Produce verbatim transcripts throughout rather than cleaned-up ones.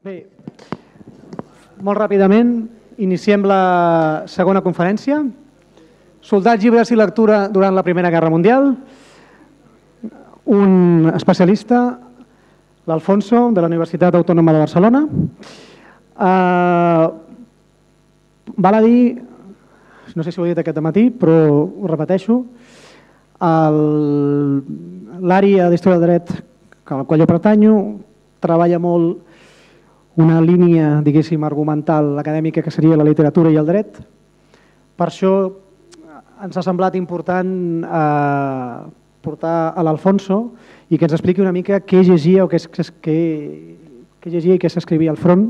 Bé, molt ràpidament iniciem la segona conferència. Soldats, llibres i lectura durant la Primera Guerra Mundial. Un especialista, l'Alfonso, de la Universitat Autònoma de Barcelona. Uh, val a dir, no sé si ho he dit aquest matí, però ho repeteixo, l'àrea d'Història del Dret a la qual jo pertanyo treballa molt una línia, diguéssim, argumental acadèmica que seria la literatura i el dret. Per això ens ha semblat important eh, portar a l'Alfonso i que ens expliqui una mica què llegia o què, què, què llegia i què s'escrivia al front.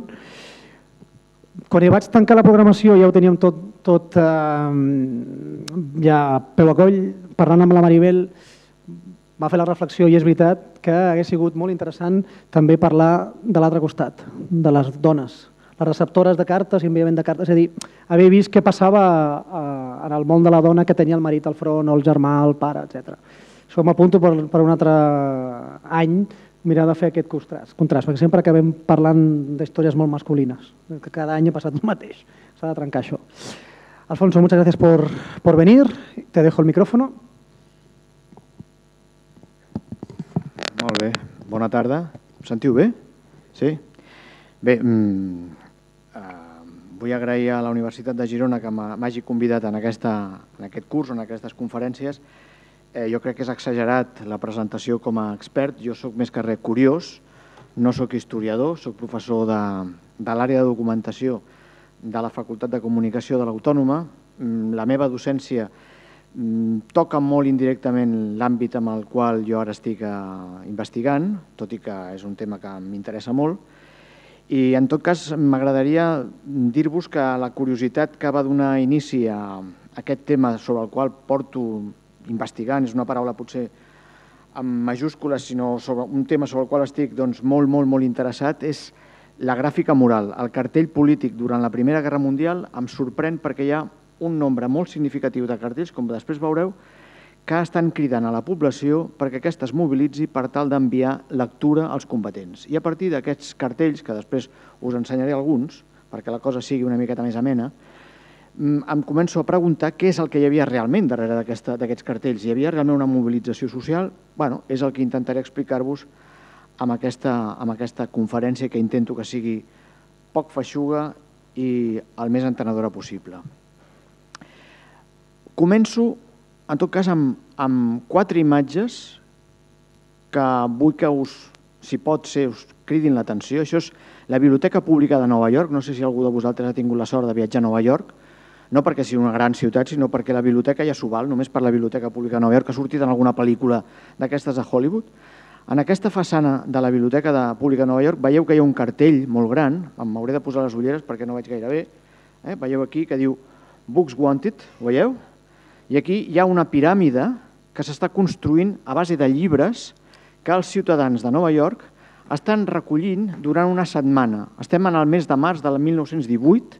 Quan hi vaig tancar la programació ja ho teníem tot, tot eh, ja peu a coll, parlant amb la Maribel, va fer la reflexió i és veritat que hauria sigut molt interessant també parlar de l'altre costat, de les dones, les receptores de cartes i enviament de cartes, és a dir, haver vist què passava en el món de la dona que tenia el marit al front o el germà, el pare, etcètera. Això m'apunto per, per un altre any mirar de fer aquest contrast, contrast perquè sempre acabem parlant d'històries molt masculines, que cada any ha passat el mateix, s'ha de trencar això. Alfonso, muchas gracias por, por venir, te dejo el micrófono. Molt bé, bona tarda. Em sentiu bé? Sí? Bé, mm, eh, vull agrair a la Universitat de Girona que m'hagi convidat en, aquesta, en aquest curs, en aquestes conferències. Eh, jo crec que és exagerat la presentació com a expert. Jo sóc més que res curiós, no sóc historiador, sóc professor de, de l'àrea de documentació de la Facultat de Comunicació de l'Autònoma. La meva docència toca molt indirectament l'àmbit amb el qual jo ara estic investigant, tot i que és un tema que m'interessa molt. I en tot cas m'agradaria dir-vos que la curiositat que va donar inici a aquest tema sobre el qual porto investigant, és una paraula potser amb majúscules, sinó sobre un tema sobre el qual estic doncs, molt, molt, molt interessat, és la gràfica moral. El cartell polític durant la Primera Guerra Mundial em sorprèn perquè hi ha un nombre molt significatiu de cartells, com després veureu, que estan cridant a la població perquè aquesta es mobilitzi per tal d'enviar lectura als combatents. I a partir d'aquests cartells, que després us ensenyaré alguns, perquè la cosa sigui una miqueta més amena, em començo a preguntar què és el que hi havia realment darrere d'aquests cartells. Hi havia realment una mobilització social? Bé, és el que intentaré explicar-vos amb aquesta, amb aquesta conferència que intento que sigui poc feixuga i el més entenedora possible. Començo, en tot cas, amb, amb quatre imatges que vull que us, si pot ser, us cridin l'atenció. Això és la Biblioteca Pública de Nova York. No sé si algú de vosaltres ha tingut la sort de viatjar a Nova York, no perquè sigui una gran ciutat, sinó perquè la biblioteca ja s'ho val, només per la Biblioteca Pública de Nova York, que ha sortit en alguna pel·lícula d'aquestes de Hollywood. En aquesta façana de la Biblioteca Pública de Nova York veieu que hi ha un cartell molt gran, m'hauré de posar les ulleres perquè no veig gaire bé, eh? Veieu aquí que diu Books Wanted, ho veieu? I aquí hi ha una piràmide que s'està construint a base de llibres que els ciutadans de Nova York estan recollint durant una setmana. Estem en el mes de març del mil nou-cents divuit.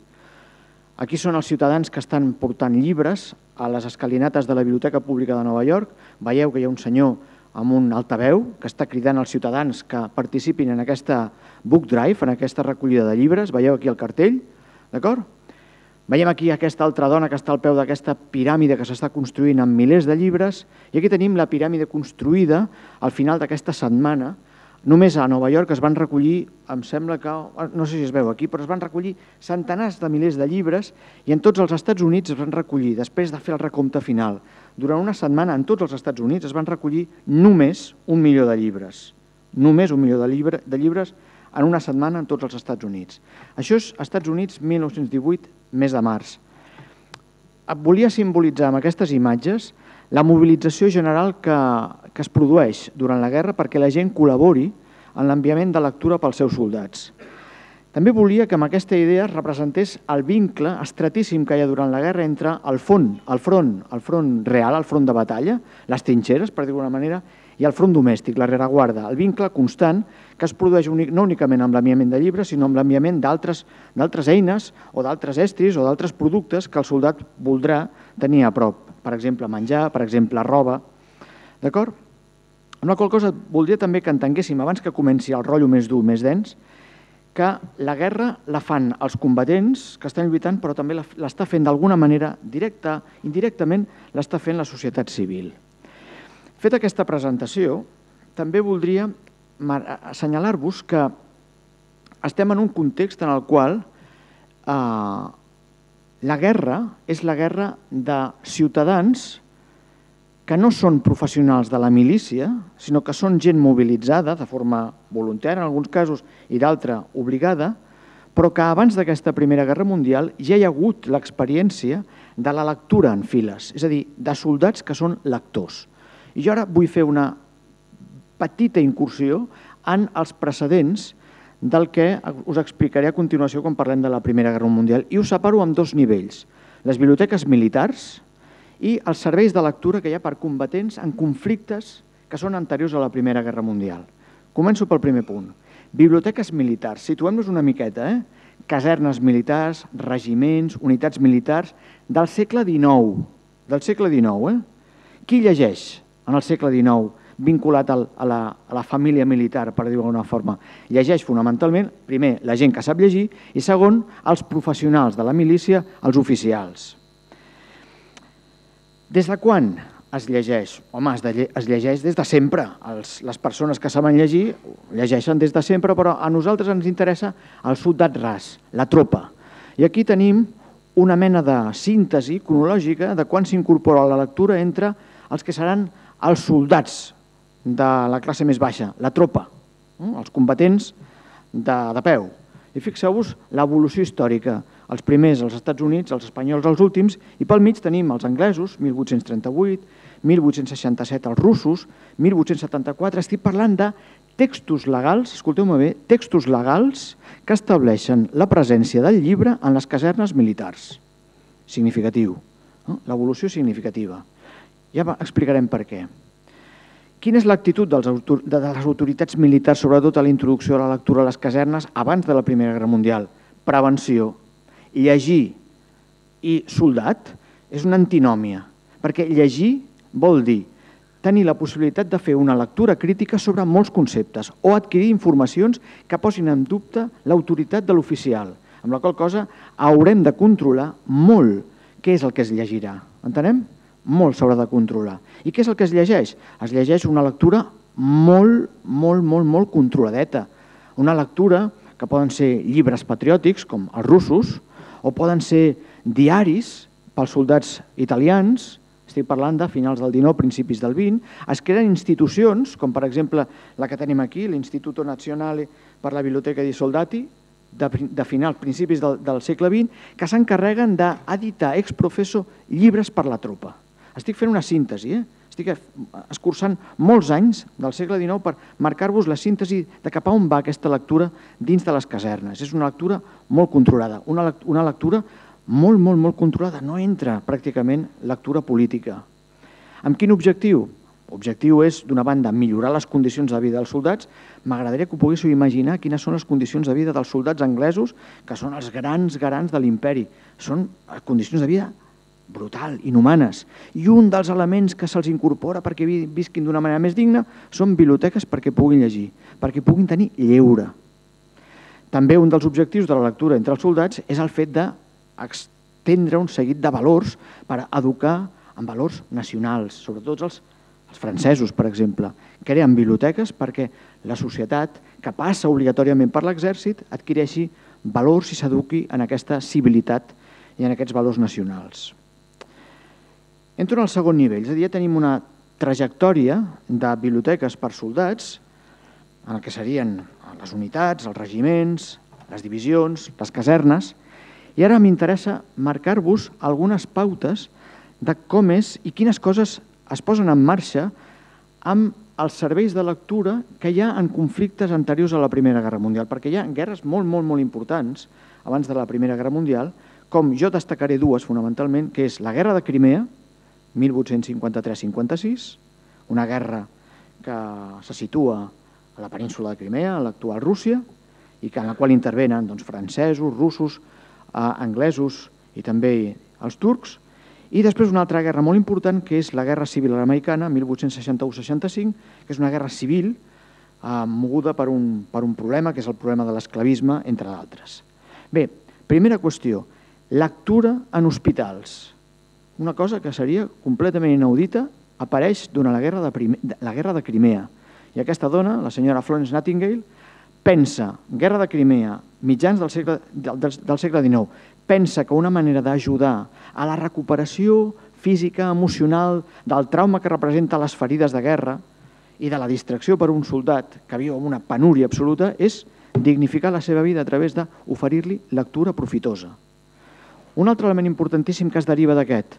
Aquí són els ciutadans que estan portant llibres a les escalinates de la Biblioteca Pública de Nova York. Veieu que hi ha un senyor amb un altaveu que està cridant als ciutadans que participin en aquesta book drive, en aquesta recollida de llibres. Veieu aquí el cartell, d'acord? Veiem aquí aquesta altra dona que està al peu d'aquesta piràmide que s'està construint amb milers de llibres i aquí tenim la piràmide construïda al final d'aquesta setmana. Només a Nova York es van recollir, em sembla que, no sé si es veu aquí, però es van recollir centenars de milers de llibres i en tots els Estats Units es van recollir, després de fer el recompte final, durant una setmana en tots els Estats Units es van recollir només un milió de llibres. Només un milió de, llibre, de llibres en una setmana en tots els Estats Units. Això és Estats Units, mil nou-cents divuit, mes de març. Volia simbolitzar amb aquestes imatges la mobilització general que, que es produeix durant la guerra perquè la gent col·labori en l'enviament de lectura pels seus soldats. També volia que amb aquesta idea es representés el vincle estratíssim que hi ha durant la guerra entre el front, el front, el front real, el front de batalla, les trinxeres, per dir-ho d'alguna manera, i el front domèstic, la rereguarda, el vincle constant que es produeix no únicament amb l'enviament de llibres, sinó amb l'enviament d'altres eines o d'altres estris o d'altres productes que el soldat voldrà tenir a prop. Per exemple, menjar, per exemple, roba. D'acord? Amb la qual cosa voldria també que entenguéssim, abans que comenci el rotllo més dur, més dens, que la guerra la fan els combatents que estan lluitant, però també l'està fent d'alguna manera directa, indirectament, l'està fent la societat civil. Feta aquesta presentació, també voldria assenyalar-vos que estem en un context en el qual eh, la guerra és la guerra de ciutadans que no són professionals de la milícia, sinó que són gent mobilitzada de forma voluntària en alguns casos i d'altra obligada, però que abans d'aquesta Primera Guerra Mundial ja hi ha hagut l'experiència de la lectura en files, és a dir, de soldats que són lectors. I jo ara vull fer una petita incursió en els precedents del que us explicaré a continuació quan parlem de la Primera Guerra Mundial. I us separo en dos nivells, les biblioteques militars i els serveis de lectura que hi ha per combatents en conflictes que són anteriors a la Primera Guerra Mundial. Començo pel primer punt. Biblioteques militars. Situem-nos una miqueta, eh? Casernes militars, regiments, unitats militars del segle dinou. Del segle dinou, eh? Qui llegeix en el segle dinou vinculat a la, a la família militar, per dir-ho d'alguna forma? Llegeix fonamentalment, primer, la gent que sap llegir i segon, els professionals de la milícia, els oficials. Des de quan es llegeix? Home, es llegeix des de sempre. Les persones que saben llegir llegeixen des de sempre, però a nosaltres ens interessa el soldat ras, la tropa. I aquí tenim una mena de síntesi cronològica de quan s'incorpora la lectura entre els que seran els soldats de la classe més baixa, la tropa, els combatents de, de peu. I fixeu-vos l'evolució històrica. Els primers als Estats Units, els espanyols els últims, i pel mig tenim els anglesos, mil vuit-cents trenta-vuit, mil vuit-cents seixanta-set els russos, mil vuit-cents setanta-quatre, estic parlant de textos legals, escolteu-me bé, textos legals que estableixen la presència del llibre en les casernes militars. Significatiu, no? L'evolució significativa. Ja explicarem per què. Quina és l'actitud de les autoritats militars, sobretot a la introducció de la lectura a les casernes abans de la Primera Guerra Mundial? Prevenció. Llegir i soldat és una antinòmia, perquè llegir vol dir tenir la possibilitat de fer una lectura crítica sobre molts conceptes o adquirir informacions que posin en dubte l'autoritat de l'oficial, amb la qual cosa haurem de controlar molt què és el que es llegirà. Entenem? Molt s'haurà de controlar. I què és el que es llegeix? Es llegeix una lectura molt, molt, molt, molt controladeta. Una lectura que poden ser llibres patriòtics, com els russos, o poden ser diaris pels soldats italians, estic parlant de finals del dinou, principis del vint, es creen institucions, com per exemple la que tenim aquí, l'Istituto Nazionale per la Biblioteca dei Soldati, de, de finals, principis del, del segle vint, que s'encarreguen d'editar ex professo llibres per la tropa. Estic fent una síntesi, eh? Estic escurçant molts anys del segle dinou per marcar-vos la síntesi de cap a on va aquesta lectura dins de les casernes. És una lectura molt controlada, una lectura molt, molt, molt controlada. No entra pràcticament lectura política. Amb quin objectiu? L'objectiu és, d'una banda, millorar les condicions de vida dels soldats. M'agradaria que ho poguéssiu imaginar quines són les condicions de vida dels soldats anglesos, que són els grans garants de l'imperi. Són condicions de vida brutal, inhumanes. I un dels elements que se'ls incorpora perquè visquin d'una manera més digna són biblioteques perquè puguin llegir, perquè puguin tenir lleure. També un dels objectius de la lectura entre els soldats és el fet d'estendre un seguit de valors per educar en valors nacionals, sobretot els, els francesos, per exemple. Creen biblioteques perquè la societat, que passa obligatòriament per l'exèrcit, adquireixi valors i s'eduqui en aquesta civilitat i en aquests valors nacionals. Entro en el segon nivell, és a dir, ja tenim una trajectòria de biblioteques per soldats, en el que serien les unitats, els regiments, les divisions, les casernes, i ara m'interessa marcar-vos algunes pautes de com és i quines coses es posen en marxa amb els serveis de lectura que hi ha en conflictes anteriors a la Primera Guerra Mundial, perquè hi ha guerres molt, molt, molt importants abans de la Primera Guerra Mundial, com jo destacaré dues fonamentalment, que és la Guerra de Crimea, mil vuit-cents cinquanta-tres cinquanta-sis, una guerra que se situa a la península de Crimea, a l'actual Rússia, i en la qual intervenen doncs, francesos, russos, eh, anglesos i també els turcs. I després una altra guerra molt important, que és la Guerra Civil Americana, mil vuit-cents seixanta-u seixanta-cinc, que és una guerra civil moguda per un problema, que és el problema de l'esclavisme, entre d'altres. Bé, primera qüestió, lectura en hospitals. Una cosa que seria completament inaudita, apareix durant la guerra de Crimea. I aquesta dona, la senyora Florence Nightingale, pensa, guerra de Crimea, mitjans del segle dinou, pensa que una manera d'ajudar a la recuperació física, emocional, del trauma que representa les ferides de guerra i de la distracció per un soldat que viu en una penúria absoluta és dignificar la seva vida a través d'oferir-li lectura profitosa. Un altre element importantíssim que es deriva d'aquest,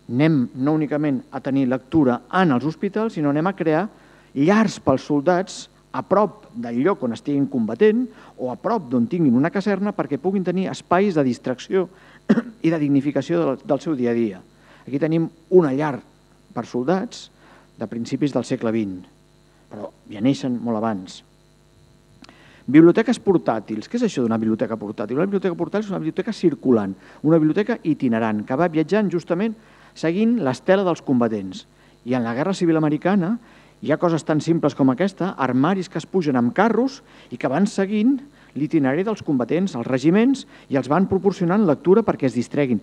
anem no únicament a tenir lectura en els hospitals, sinó anem a crear llars pels soldats a prop del lloc on estiguin combatent o a prop d'on tinguin una caserna perquè puguin tenir espais de distracció i de dignificació del seu dia a dia. Aquí tenim una llar per soldats de principis del segle vint, però ja neixen molt abans. Biblioteques portàtils. Què és això d'una biblioteca portàtil? Una biblioteca portàtil és una biblioteca circulant, una biblioteca itinerant, que va viatjant justament seguint l'estela dels combatents. I en la Guerra Civil Americana hi ha coses tan simples com aquesta, armaris que es pugen amb carros i que van seguint l'itinerari dels combatents, els regiments, i els van proporcionant lectura perquè es distreguin.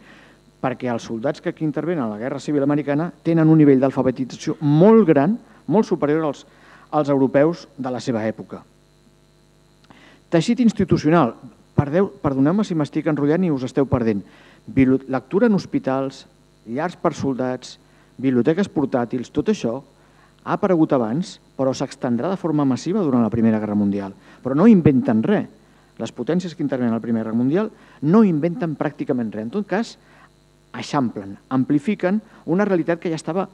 Perquè els soldats que aquí intervenen a la Guerra Civil Americana tenen un nivell d'alfabetització molt gran, molt superior als, als europeus de la seva època. Teixit institucional. Perdoneu-me si m'estic enrotllant i us esteu perdent. Lectura en hospitals, llars per soldats, biblioteques portàtils, tot això ha aparegut abans, però s'extendrà de forma massiva durant la Primera Guerra Mundial. Però no inventen res. Les potències que intervenen a la Primera Guerra Mundial no inventen pràcticament res. En tot cas, eixamplen, amplifiquen una realitat que ja estava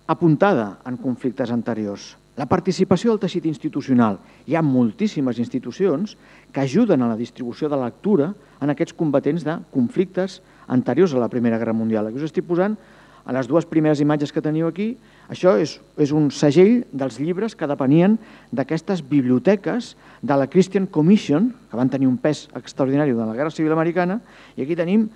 apuntada en conflictes anteriors. La participació del teixit institucional. Hi ha moltíssimes institucions que ajuden a la distribució de lectura en aquests combatents de conflictes anteriors a la Primera Guerra Mundial. Aquí us estic posant a les dues primeres imatges que teniu aquí. Això és, és un segell dels llibres que depenien d'aquestes biblioteques de la Christian Commission, que van tenir un pes extraordinari durant la Guerra Civil Americana, i aquí tenim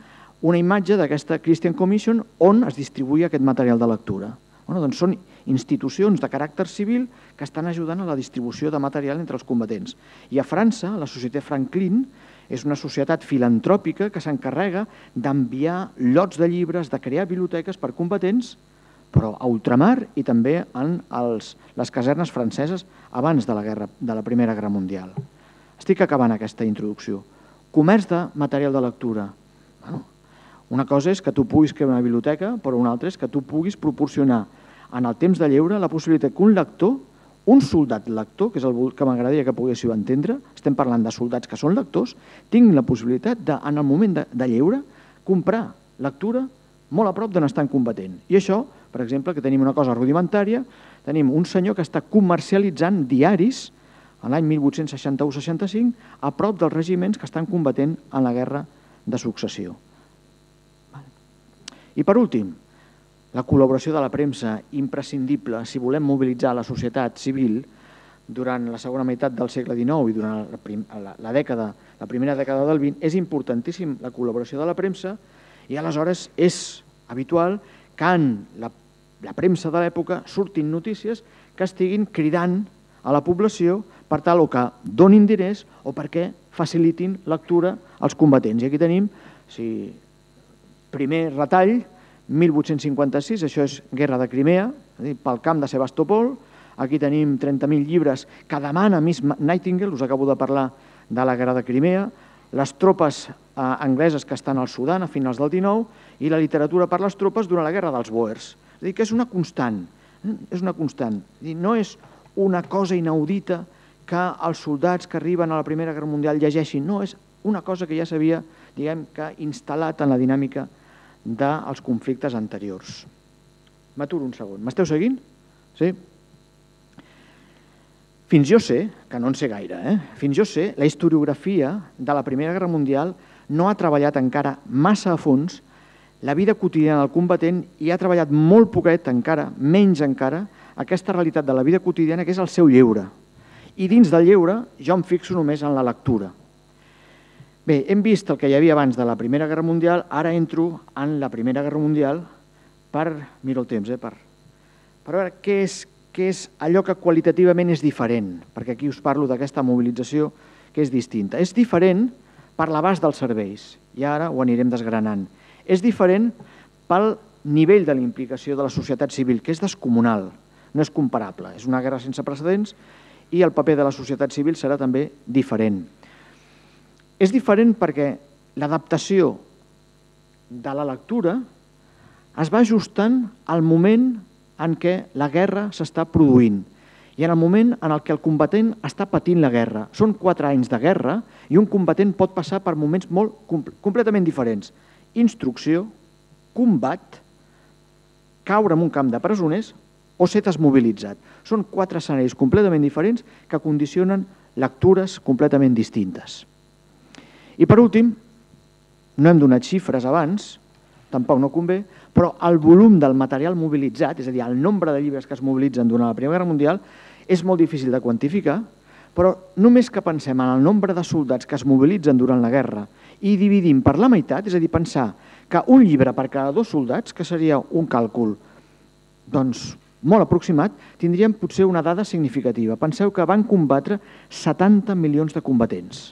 una imatge d'aquesta Christian Commission on es distribuïa aquest material de lectura. Bueno, doncs són institucions de caràcter civil que estan ajudant a la distribució de material entre els combatents. I a França, la Societé Franklin és una societat filantròpica que s'encarrega d'enviar lots de llibres, de crear biblioteques per combatents, però a ultramar i també en els, les casernes franceses abans de la, guerra, de la Primera Guerra Mundial. Estic acabant aquesta introducció. Comerç de material de lectura. Bueno, una cosa és que tu puguis crear una biblioteca, però una altra és que tu puguis proporcionar en el temps de lleure la possibilitat que un lector, un soldat lector, que és el que m'agradaria que poguéssiu entendre, estem parlant de soldats que són lectors, tinguin la possibilitat de, en el moment de, de lleure, comprar lectura molt a prop d'on estan combatent. I això, per exemple, que tenim una cosa rudimentària, tenim un senyor que està comercialitzant diaris a l'any mil vuit-cents seixanta-u seixanta-cinc a prop dels regiments que estan combatent en la Guerra de Successió. I per últim, la col·laboració de la premsa, imprescindible si volem mobilitzar la societat civil durant la segona meitat del segle dinou i durant la, la, dècada, la primera dècada del vint, és importantíssim la col·laboració de la premsa i aleshores és habitual que en la, la premsa de l'època surtin notícies que estiguin cridant a la població per tal o que donin diners o perquè facilitin lectura als combatents. I aquí tenim, si primer retall, mil vuit-cents cinquanta-sis, això és Guerra de Crimea, pel camp de Sebastopol. Aquí tenim trenta mil llibres que demana Miss Nightingale, us acabo de parlar de la Guerra de Crimea, les tropes angleses que estan al Sudan a finals del dinou i la literatura per les tropes durant la Guerra dels Bòers. És a dir, que és una constant, és una constant. No és una cosa inaudita que els soldats que arriben a la Primera Guerra Mundial llegeixin, no, és una cosa que ja s'havia, diguem, que instal·lat en la dinàmica dels conflictes anteriors. M'aturo un segon. M'esteu seguint? Sí? Fins jo sé, que no en sé gaire, eh? fins jo sé, la historiografia de la Primera Guerra Mundial no ha treballat encara massa a fons la vida quotidiana del combatent i ha treballat molt poquet encara, menys encara, aquesta realitat de la vida quotidiana que és el seu lleure. I dins del lleure jo em fixo només en la lectura. Bé, hem vist el que hi havia abans de la Primera Guerra Mundial, ara entro en la Primera Guerra Mundial per, miro el temps, eh, per, per veure què és, que és allò que qualitativament és diferent, perquè aquí us parlo d'aquesta mobilització que és distinta. És diferent per l'abast dels serveis, i ara ho anirem desgranant. És diferent pel nivell de la implicació de la societat civil, que és descomunal, no és comparable. És una guerra sense precedents i el paper de la societat civil serà també diferent. És diferent perquè l'adaptació de la lectura es va ajustant al moment en què la guerra s'està produint i en el moment en què el combatent està patint la guerra. Són quatre anys de guerra i un combatent pot passar per moments molt completament diferents. Instrucció, combat, caure en un camp de presoners o ser desmobilitzat. Són quatre escenaris completament diferents que condicionen lectures completament distintes. I per últim, no hem donat xifres abans, tampoc no convé, però el volum del material mobilitzat, és a dir, el nombre de llibres que es mobilitzen durant la Primera Guerra Mundial, és molt difícil de quantificar, però només que pensem en el nombre de soldats que es mobilitzen durant la guerra i dividim per la meitat, és a dir, pensar que un llibre per cada dos soldats, que seria un càlcul doncs, molt aproximat, tindríem potser una dada significativa. Penseu que van combatre setanta milions de combatents.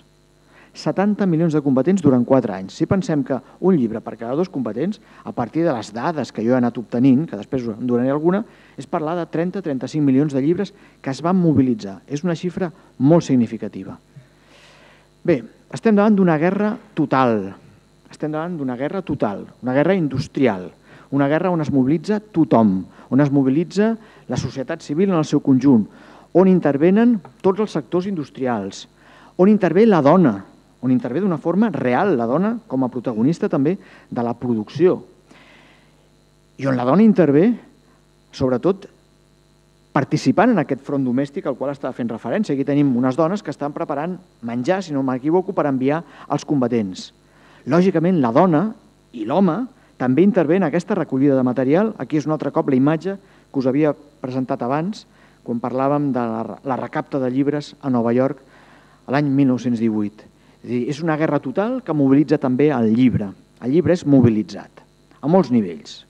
setanta milions de combatents durant quatre anys. Si pensem que un llibre per cada dos combatents, a partir de les dades que jo he anat obtenint, que després en donaré alguna, és parlar de trenta a trenta-cinc milions de llibres que es van mobilitzar. És una xifra molt significativa. Bé, estem davant d'una guerra total. Estem davant d'una guerra total, una guerra industrial, una guerra on es mobilitza tothom, on es mobilitza la societat civil en el seu conjunt, on intervenen tots els sectors industrials, on intervé la dona, on intervé d'una forma real la dona com a protagonista també de la producció. I on la dona intervé, sobretot, participant en aquest front domèstic al qual estava fent referència. Aquí tenim unes dones que estan preparant menjar, si no m'equivoco, per enviar als combatents. Lògicament, la dona i l'home també intervé en aquesta recollida de material. Aquí és un altre cop la imatge que us havia presentat abans, quan parlàvem de la recapta de llibres a Nova York l'any mil nou-cents divuit. És a dir, és una guerra total que mobilitza també el llibre. El llibre és mobilitzat, a molts nivells.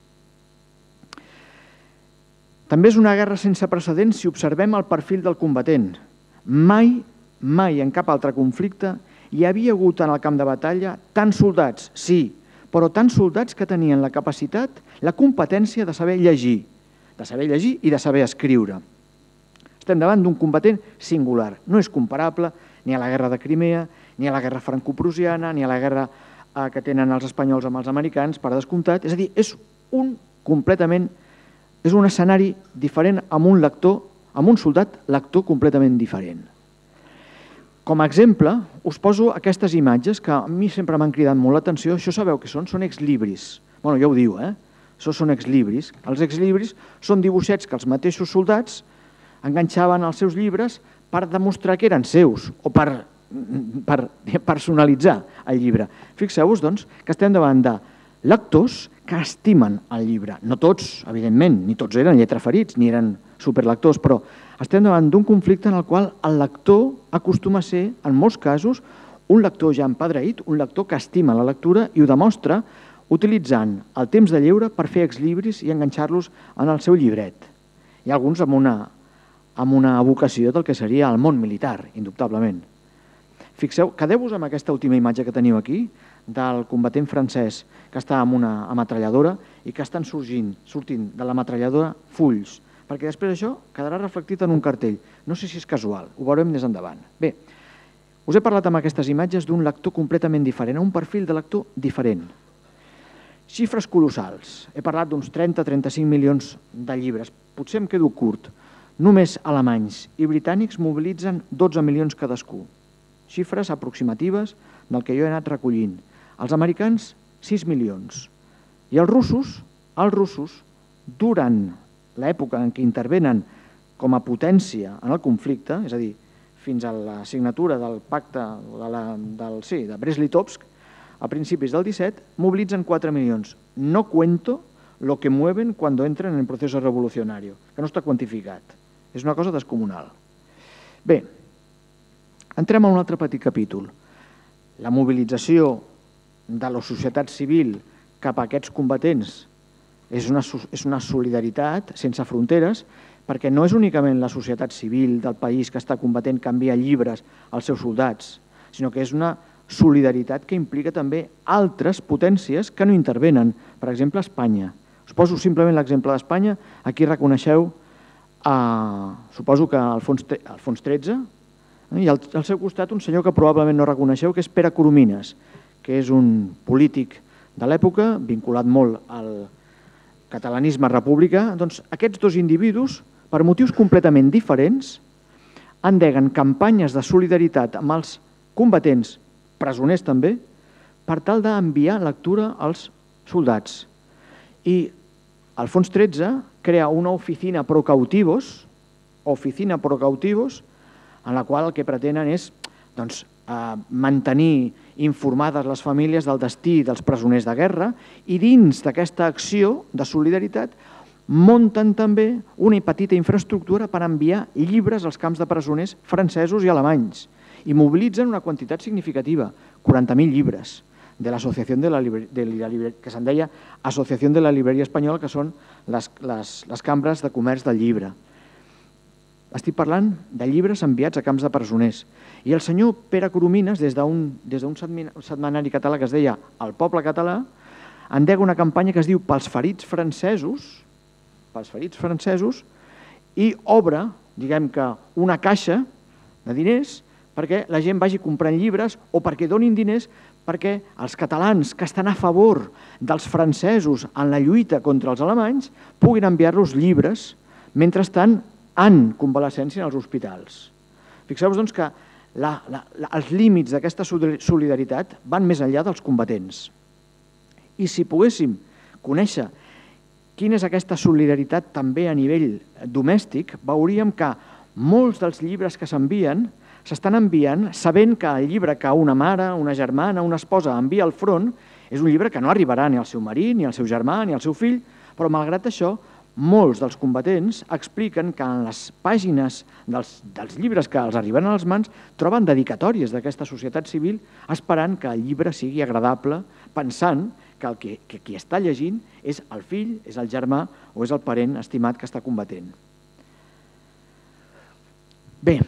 També és una guerra sense precedents si observem el perfil del combatent. Mai, mai en cap altre conflicte hi havia hagut en el camp de batalla tants soldats, sí, però tants soldats que tenien la capacitat, la competència de saber llegir, de saber llegir i de saber escriure. Estem davant d'un combatent singular, no és comparable ni a la guerra de Crimea, ni a la guerra franco-prussiana, ni a la guerra que tenen els espanyols amb els americans, per descomptat. És a dir, és un completament, és un escenari diferent amb un lector, amb un soldat lector completament diferent. Com a exemple, us poso aquestes imatges que a mi sempre m'han cridat molt l'atenció. Això sabeu què són? Són exlibris. Bueno, ja ho diu, eh? Això són exlibris. Els exlibris són dibuixets que els mateixos soldats enganxaven als seus llibres per demostrar que eren seus o per per personalitzar el llibre. Fixeu-vos, doncs, que estem davant de lectors que estimen el llibre. No tots, evidentment, ni tots eren lletraferits, ni eren superlectors, però estem davant d'un conflicte en el qual el lector acostuma a ser, en molts casos, un lector ja empadreït, un lector que estima la lectura i ho demostra utilitzant el temps de lleure per fer exlibris i enganxar-los en el seu llibret. Hi ha alguns amb una, amb una vocació del que seria el món militar, indubtablement. Fixeu, quedeu-vos amb aquesta última imatge que teniu aquí, del combatent francès que està amb una ametralladora i que estan sorgint, sortint de l'ametralladora fulls, perquè després això quedarà reflectit en un cartell. No sé si és casual, ho veurem més endavant. Bé, us he parlat amb aquestes imatges d'un lector completament diferent, un perfil de lector diferent. Xifres colossals. He parlat d'uns trenta a trenta-cinc milions de llibres. Potser em quedo curt. Només alemanys i britànics mobilitzen dotze milions cadascú. Xifres aproximatives del que jo he anat recollint. Els americans, sis milions. I els russos, els russos, durant l'època en què intervenen com a potència en el conflicte, és a dir, fins a la signatura del pacte de, la, del, sí, de Brest-Litovsk, a principis del disset, mobilitzen quatre milions. No cuento lo que mueven cuando entren en el proceso revolucionario, que no està quantificat. És una cosa descomunal. Bé, entrem a un altre petit capítol. La mobilització de la societat civil cap a aquests combatents és una, és una solidaritat sense fronteres, perquè no és únicament la societat civil del país que està combatent que envia llibres als seus soldats, sinó que és una solidaritat que implica també altres potències que no intervenen, per exemple, Espanya. Us poso simplement l'exemple d'Espanya. Aquí reconeixeu, eh, suposo que Alfons tretze, i al, al seu costat un senyor que probablement no reconeixeu, que és Pere Coromines, que és un polític de l'època, vinculat molt al catalanisme republicà. Doncs aquests dos individus, per motius completament diferents, endeguen campanyes de solidaritat amb els combatents, presoners també, per tal d'enviar lectura als soldats. I Alfons tretze crea una oficina pro cautivos, oficina pro cautivos, en la qual el que pretenen és doncs, eh, mantenir informades les famílies del destí dels presoners de guerra, i dins d'aquesta acció de solidaritat munten també una petita infraestructura per enviar llibres als camps de presoners francesos i alemanys, i mobilitzen una quantitat significativa, quaranta mil llibres, de l'associació de la llibreria, que se'n deia Associació de la Llibreria Espanyola, que són les, les, les cambres de comerç del llibre. Estic parlant de llibres enviats a camps de presoners. I el senyor Pere Coromines, des d'un des d'un setmanari català que es deia El Poble Català, endega una campanya que es diu Pels ferits francesos, pels ferits francesos, i obre, diguem que, una caixa de diners perquè la gent vagi comprant llibres o perquè donin diners perquè els catalans que estan a favor dels francesos en la lluita contra els alemanys puguin enviar-los llibres mentre estan en convalescència als hospitals. Fixeu-vos doncs, que la, la, la, els límits d'aquesta solidaritat van més enllà dels combatents. I si poguéssim conèixer quina és aquesta solidaritat també a nivell domèstic, veuríem que molts dels llibres que s'envien s'estan enviant sabent que el llibre que una mare, una germana, una esposa envia al front és un llibre que no arribarà ni al seu marit, ni al seu germà, ni al seu fill, però malgrat això, molts dels combatents expliquen que en les pàgines dels, dels llibres que els arriben a les mans troben dedicatòries d'aquesta societat civil esperant que el llibre sigui agradable, pensant que el que, que qui està llegint és el fill, és el germà o és el parent estimat que està combatent. Bé,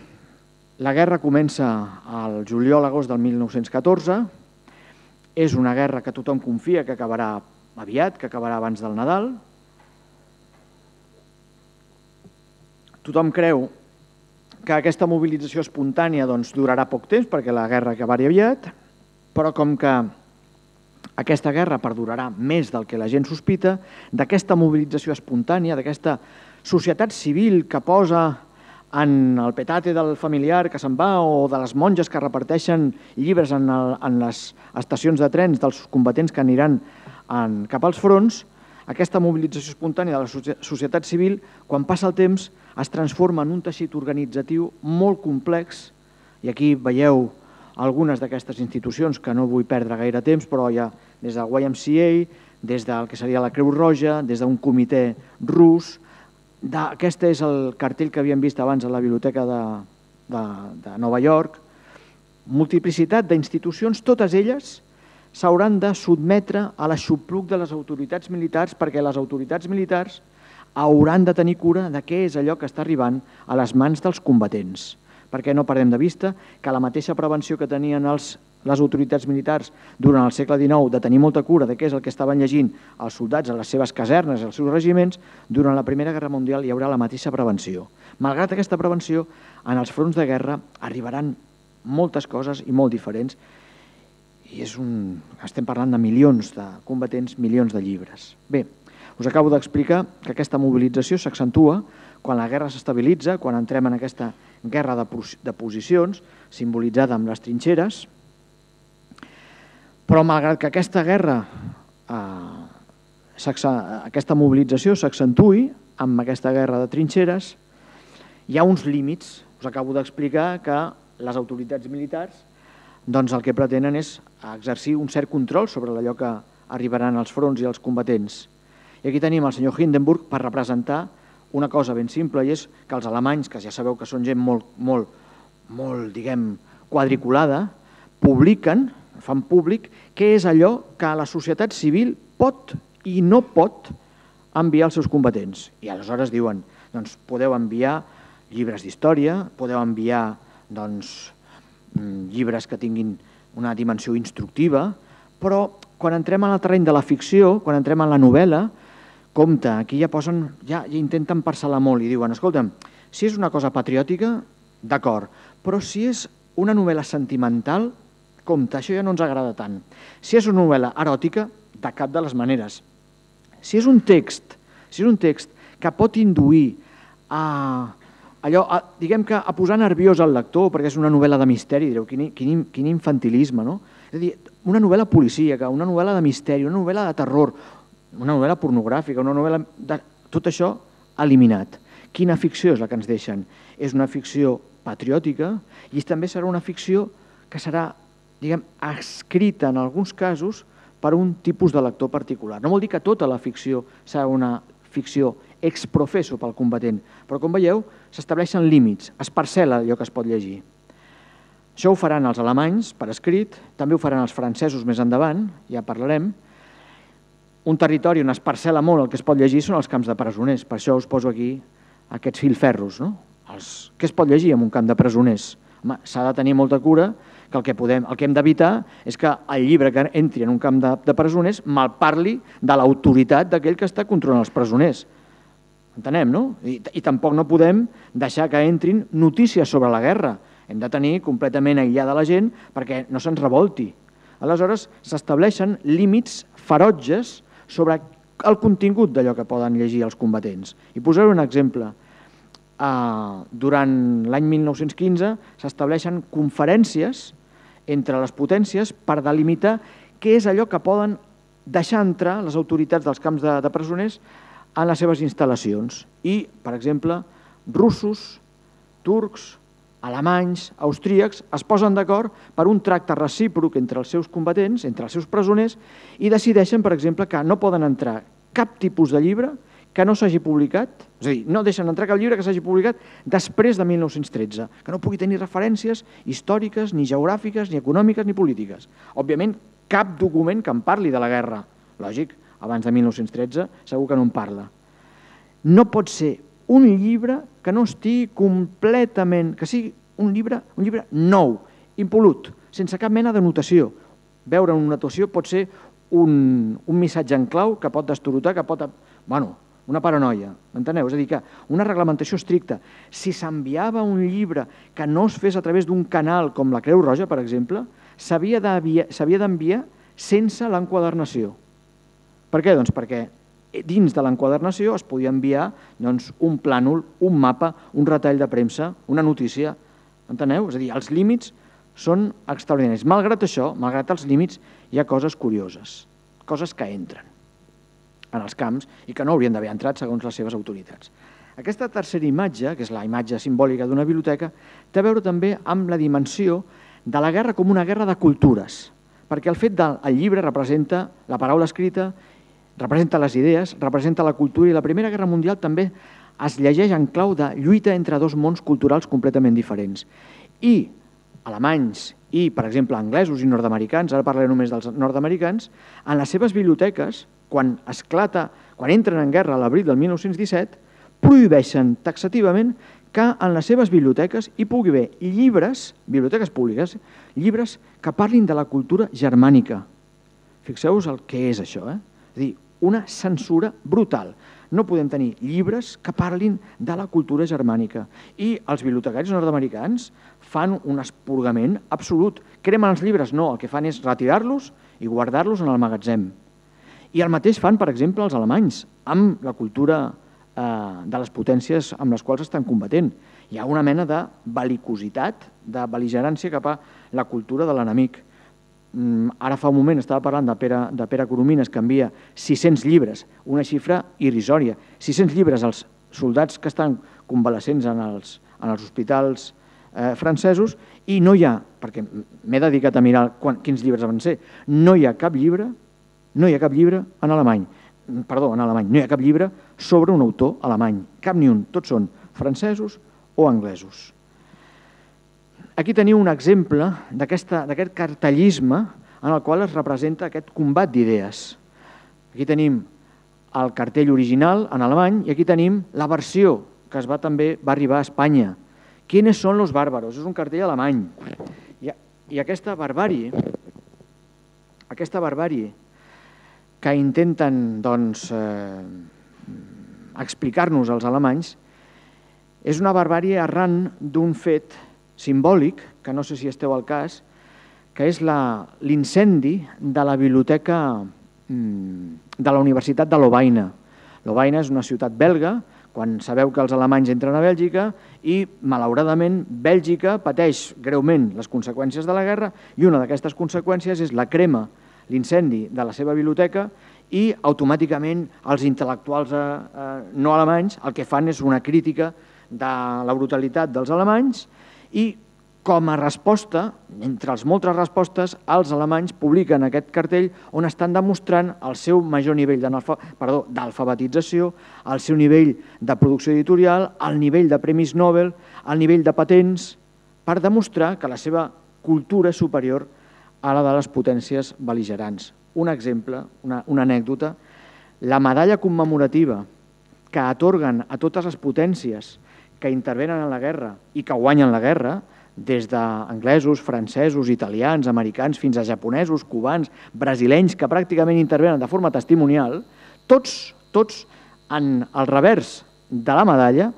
la guerra comença al juliol-agost del mil nou-cents catorze. És una guerra que tothom confia que acabarà aviat, que acabarà abans del Nadal. Tothom creu que aquesta mobilització espontània doncs, durarà poc temps perquè la guerra acabarà aviat, però com que aquesta guerra perdurarà més del que la gent sospita, d'aquesta mobilització espontània, d'aquesta societat civil que posa en el petate del familiar que se'n va o de les monges que reparteixen llibres en, el, en les estacions de trens dels combatents que aniran en, cap als fronts, aquesta mobilització espontània de la societat civil, quan passa el temps, es transforma en un teixit organitzatiu molt complex, i aquí veieu algunes d'aquestes institucions que no vull perdre gaire temps, però hi ha des del Y M C A, des del que seria la Creu Roja, des d'un comitè rus. Aquest és el cartell que havíem vist abans a la biblioteca de, de, de Nova York. Multiplicitat d'institucions, totes elles s'hauran de sotmetre a l'aixopluc de les autoritats militars perquè les autoritats militars hauran de tenir cura de què és allò que està arribant a les mans dels combatents. Perquè no perdem de vista que la mateixa prevenció que tenien els, les autoritats militars durant el segle dinou de tenir molta cura de què és el que estaven llegint els soldats a les seves casernes, als seus regiments, durant la Primera Guerra Mundial hi haurà la mateixa prevenció. Malgrat aquesta prevenció, en els fronts de guerra arribaran moltes coses i molt diferents. I és un... estem parlant de milions de combatents, milions de llibres. Bé, us acabo d'explicar que aquesta mobilització s'accentua quan la guerra s'estabilitza, quan entrem en aquesta guerra de, de posicions, simbolitzada amb les trinxeres, però malgrat que aquesta guerra, eh, aquesta mobilització s'accentui amb aquesta guerra de trinxeres, hi ha uns límits. Us acabo d'explicar que les autoritats militars doncs el que pretenen és exercir un cert control sobre allò que arribaran als fronts i als combatents. I aquí tenim el senyor Hindenburg per representar una cosa ben simple, i és que els alemanys, que ja sabeu que són gent molt, molt, molt, diguem, quadriculada, publiquen, fan públic, què és allò que la societat civil pot i no pot enviar als seus combatents. I aleshores diuen, Doncs podeu enviar llibres d'història, podeu enviar doncs, llibres que tinguin una dimensió instructiva, però quan entrem en el terreny de la ficció, quan entrem en la novel·la, compte, aquí ja posen, ja, ja intenten parcel·lar molt i diuen, escolta'm, si és una cosa patriòtica, d'acord, però si és una novel·la sentimental, compte, això ja no ens agrada tant. Si és una novel·la eròtica, de cap de les maneres. Si és un text, si és un text que pot induir a, allò, a, diguem que a posar nerviós al lector, perquè és una novel·la de misteri, direu, quin, quin, quin infantilisme, no? És a dir, una novel·la policíaca, una novel·la de misteri, una novel·la de terror, una novel·la pornogràfica, una novel·la... De... Tot això eliminat. Quina ficció és la que ens deixen? És una ficció patriòtica i també serà una ficció que serà, diguem, escrita en alguns casos per un tipus de lector particular. No vol dir que tota la ficció serà una ficció ex professo pel combatent, però com veieu s'estableixen límits, es parcel·la allò que es pot llegir. Això ho faran els alemanys per escrit, també ho faran els francesos més endavant, ja parlarem. Un territori on es parcel·la molt el que es pot llegir són els camps de presoners, per això us poso aquí aquests filferros, no? Els... Què es pot llegir en un camp de presoners? Home, s'ha de tenir molta cura que el que, podem, el que hem d'evitar és que el llibre que entri en un camp de, de presoners malparli de l'autoritat d'aquell que està controlant els presoners. Entenem, no? I, I tampoc no podem deixar que entrin notícies sobre la guerra. Hem de tenir completament aïllada la gent perquè no se'ns revolti. Aleshores, s'estableixen límits ferotges sobre el contingut d'allò que poden llegir els combatents. I posaré un exemple. Uh, durant l'any mil nou-cents quinze s'estableixen conferències entre les potències per delimitar què és allò que poden deixar entrar les autoritats dels camps de, de presoners en les seves instal·lacions. I, per exemple, russos, turcs, alemanys, austríacs es posen d'acord per un tracte recíproc entre els seus combatents, entre els seus presoners, i decideixen, per exemple, que no poden entrar cap tipus de llibre que no s'hagi publicat, és a dir, no deixen entrar cap llibre que s'hagi publicat després de mil nou-cents tretze, que no pugui tenir referències històriques, ni geogràfiques, ni econòmiques, ni polítiques. Òbviament, cap document que en parli de la guerra. Lògic, abans de mil nou-cents tretze segur que no en parla. No pot ser un llibre que no estigui completament, que sigui un llibre, un llibre nou, impolut, sense cap mena de notació. Veure una notació pot ser un, un missatge en clau que pot destorotar, que pot... Bueno, una paranoia, enteneu? És a dir, que una reglamentació estricta, si s'enviava un llibre que no es fes a través d'un canal com la Creu Roja, per exemple, s'havia d'enviar sense l'enquadernació. Per què? Doncs perquè dins de l'enquadernació es podia enviar doncs, un plànol, un mapa, un retall de premsa, una notícia, enteneu? És a dir, els límits són extraordinaris. Malgrat això, malgrat els límits, hi ha coses curioses, coses que entren en els camps i que no haurien d'haver entrat segons les seves autoritats. Aquesta tercera imatge, que és la imatge simbòlica d'una biblioteca, té a veure també amb la dimensió de la guerra com una guerra de cultures, perquè el fet del llibre representa la paraula escrita, representa les idees, representa la cultura, i la Primera Guerra Mundial també es llegeix en clau de lluita entre dos mons culturals completament diferents. I alemanys i, per exemple, anglesos i nord-americans, ara parlaré només dels nord-americans, en les seves biblioteques, quan esclata, quan entren en guerra a l'abril del mil nou-cents disset, prohibeixen taxativament que en les seves biblioteques hi pugui haver llibres, biblioteques públiques, llibres que parlin de la cultura germànica. Fixeu-vos el que és això, eh? És a dir, una censura brutal. No podem tenir llibres que parlin de la cultura germànica. I els bibliotecaris nord-americans fan un expurgament absolut. Cremen els llibres? No, el que fan és retirar-los i guardar-los en el magatzem. I el mateix fan, per exemple, els alemanys, amb la cultura de les potències amb les quals estan combatent. Hi ha una mena de bel·licositat, de bel·ligerància cap a la cultura de l'enemic. Ara fa un moment estava parlant de Pere, de Pere Coromines, que envia sis-cents llibres, una xifra irrisòria. sis-cents llibres als soldats que estan convalescents en els, en els hospitals eh, francesos, i no hi ha, perquè m'he dedicat a mirar quan, quins llibres van ser, no hi ha cap llibre, no hi ha cap llibre en alemany, perdó, en alemany, no hi ha cap llibre sobre un autor alemany, cap ni un, tots són francesos o anglesos. Aquí teniu un exemple d'aquest cartellisme en el qual es representa aquest combat d'idees. Aquí tenim el cartell original en alemany i aquí tenim la versió que es va també va arribar a Espanya. ¿Quiénes son los bárbaros? És un cartell alemany. I, i aquesta barbàrie, aquesta barbàrie que intenten doncs, eh, explicar-nos als alemanys és una barbàrie arran d'un fet simbòlic, que no sé si esteu al cas, que és l'incendi de la biblioteca de la Universitat de Lovaina. Lovaina és una ciutat belga, quan sabeu que els alemanys entren a Bèlgica i, malauradament, Bèlgica pateix greument les conseqüències de la guerra i una d'aquestes conseqüències és la crema, l'incendi de la seva biblioteca i automàticament els intel·lectuals eh, no alemanys el que fan és una crítica de la brutalitat dels alemanys i com a resposta, entre les moltes respostes, els alemanys publiquen aquest cartell on estan demostrant el seu major nivell d'alfabetització, el seu nivell de producció editorial, el nivell de premis Nobel, el nivell de patents, per demostrar que la seva cultura és superior a la de les potències bel·ligerants. Un exemple, una, una anècdota, la medalla commemorativa que atorguen a totes les potències que intervenen en la guerra i que guanyen la guerra, des d'anglesos, francesos, italians, americans, fins a japonesos, cubans, brasilenys, que pràcticament intervenen de forma testimonial, tots, tots en el revers de la medalla,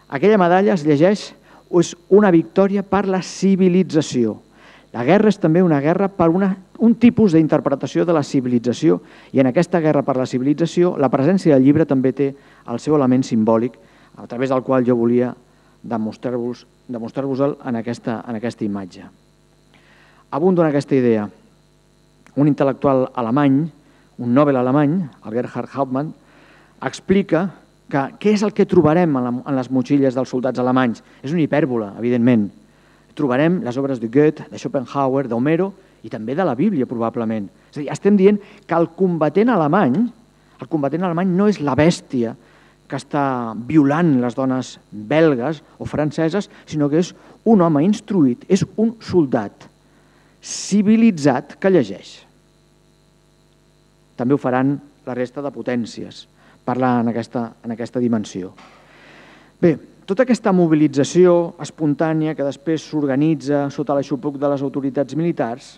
aquella medalla es llegeix és una victòria per la civilització. La guerra és també una guerra per una, un tipus d'interpretació de la civilització i en aquesta guerra per la civilització la presència del llibre també té el seu element simbòlic a través del qual jo volia demostrar-vos demostrar-vos-el en aquesta, en aquesta imatge. Abundo en aquesta idea. Un intel·lectual alemany, un Nobel alemany, el Gerhard Hauptmann, explica que què és el que trobarem en, la, en les motxilles dels soldats alemanys. És una hipèrbola, evidentment. Trobarem les obres de Goethe, de Schopenhauer, d'Homero i també de la Bíblia, probablement. És a dir, estem dient que el combatent alemany, el combatent alemany no és la bèstia que està violant les dones belgues o franceses, sinó que és un home instruït, és un soldat civilitzat que llegeix. També ho faran la resta de potències, parlar en aquesta, en aquesta dimensió. Bé, tota aquesta mobilització espontània que després s'organitza sota l'aixopluc de les autoritats militars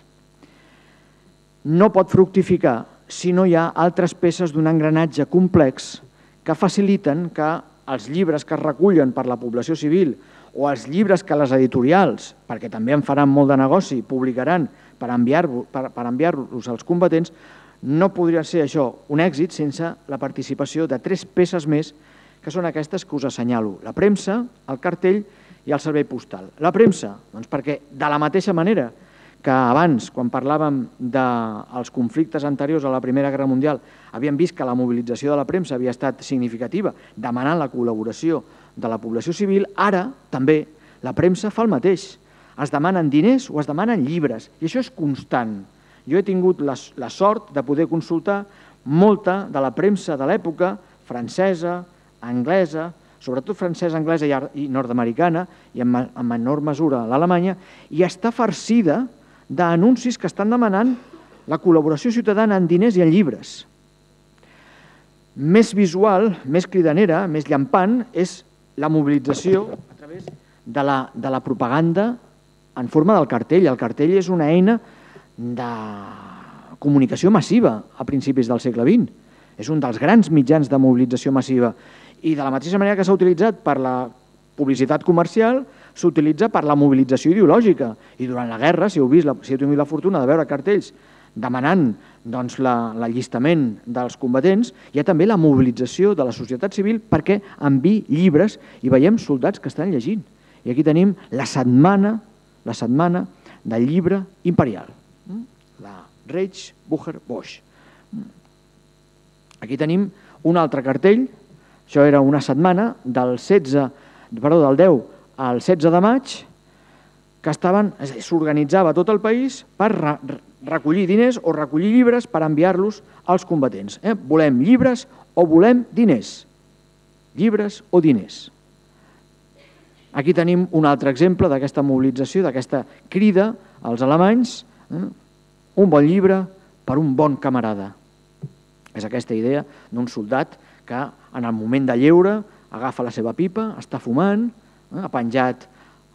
no pot fructificar si no hi ha altres peces d'un engranatge complex que faciliten que els llibres que es recullen per la població civil o els llibres que les editorials, perquè també en faran molt de negoci, publicaran per enviar-los per, per enviar-los als combatents, no podria ser això un èxit sense la participació de tres peces més que són aquestes que us assenyalo. La premsa, el cartell i el servei postal. La premsa, doncs perquè de la mateixa manera que abans, quan parlàvem dels conflictes anteriors a la Primera Guerra Mundial, havíem vist que la mobilització de la premsa havia estat significativa, demanant la col·laboració de la població civil, ara també la premsa fa el mateix. Es demanen diners o es demanen llibres, i això és constant. Jo he tingut la, la sort de poder consultar molta de la premsa de l'època, francesa, anglesa, sobretot francesa, anglesa i, i nord-americana, i en, en menor mesura l'alemanya, i està farcida d'anuncis que estan demanant la col·laboració ciutadana en diners i en llibres. Més visual, més cridanera, més llampant, és la mobilització a través de la, de la propaganda en forma del cartell. El cartell és una eina de comunicació massiva a principis del segle vint. És un dels grans mitjans de mobilització massiva. I de la mateixa manera que s'ha utilitzat per la publicitat comercial, s'utilitza per la mobilització ideològica. I durant la guerra, si heu vist, si heu tingut la fortuna de veure cartells demanant doncs, l'allistament dels combatents, hi ha també la mobilització de la societat civil perquè enviï llibres i veiem soldats que estan llegint. I aquí tenim la setmana, la setmana del llibre imperial, la Reichsbücher-Bosch. Aquí tenim un altre cartell, això era una setmana del setze, perdó, del deu al setze de maig, que s'organitzava tot el país per recollir diners o recollir llibres per enviar-los als combatents. Eh? Volem llibres o volem diners. Llibres o diners. Aquí tenim un altre exemple d'aquesta mobilització, d'aquesta crida als alemanys. Eh? Un bon llibre per un bon camarada. És aquesta idea d'un soldat que en el moment de lleure agafa la seva pipa, està fumant, ha penjat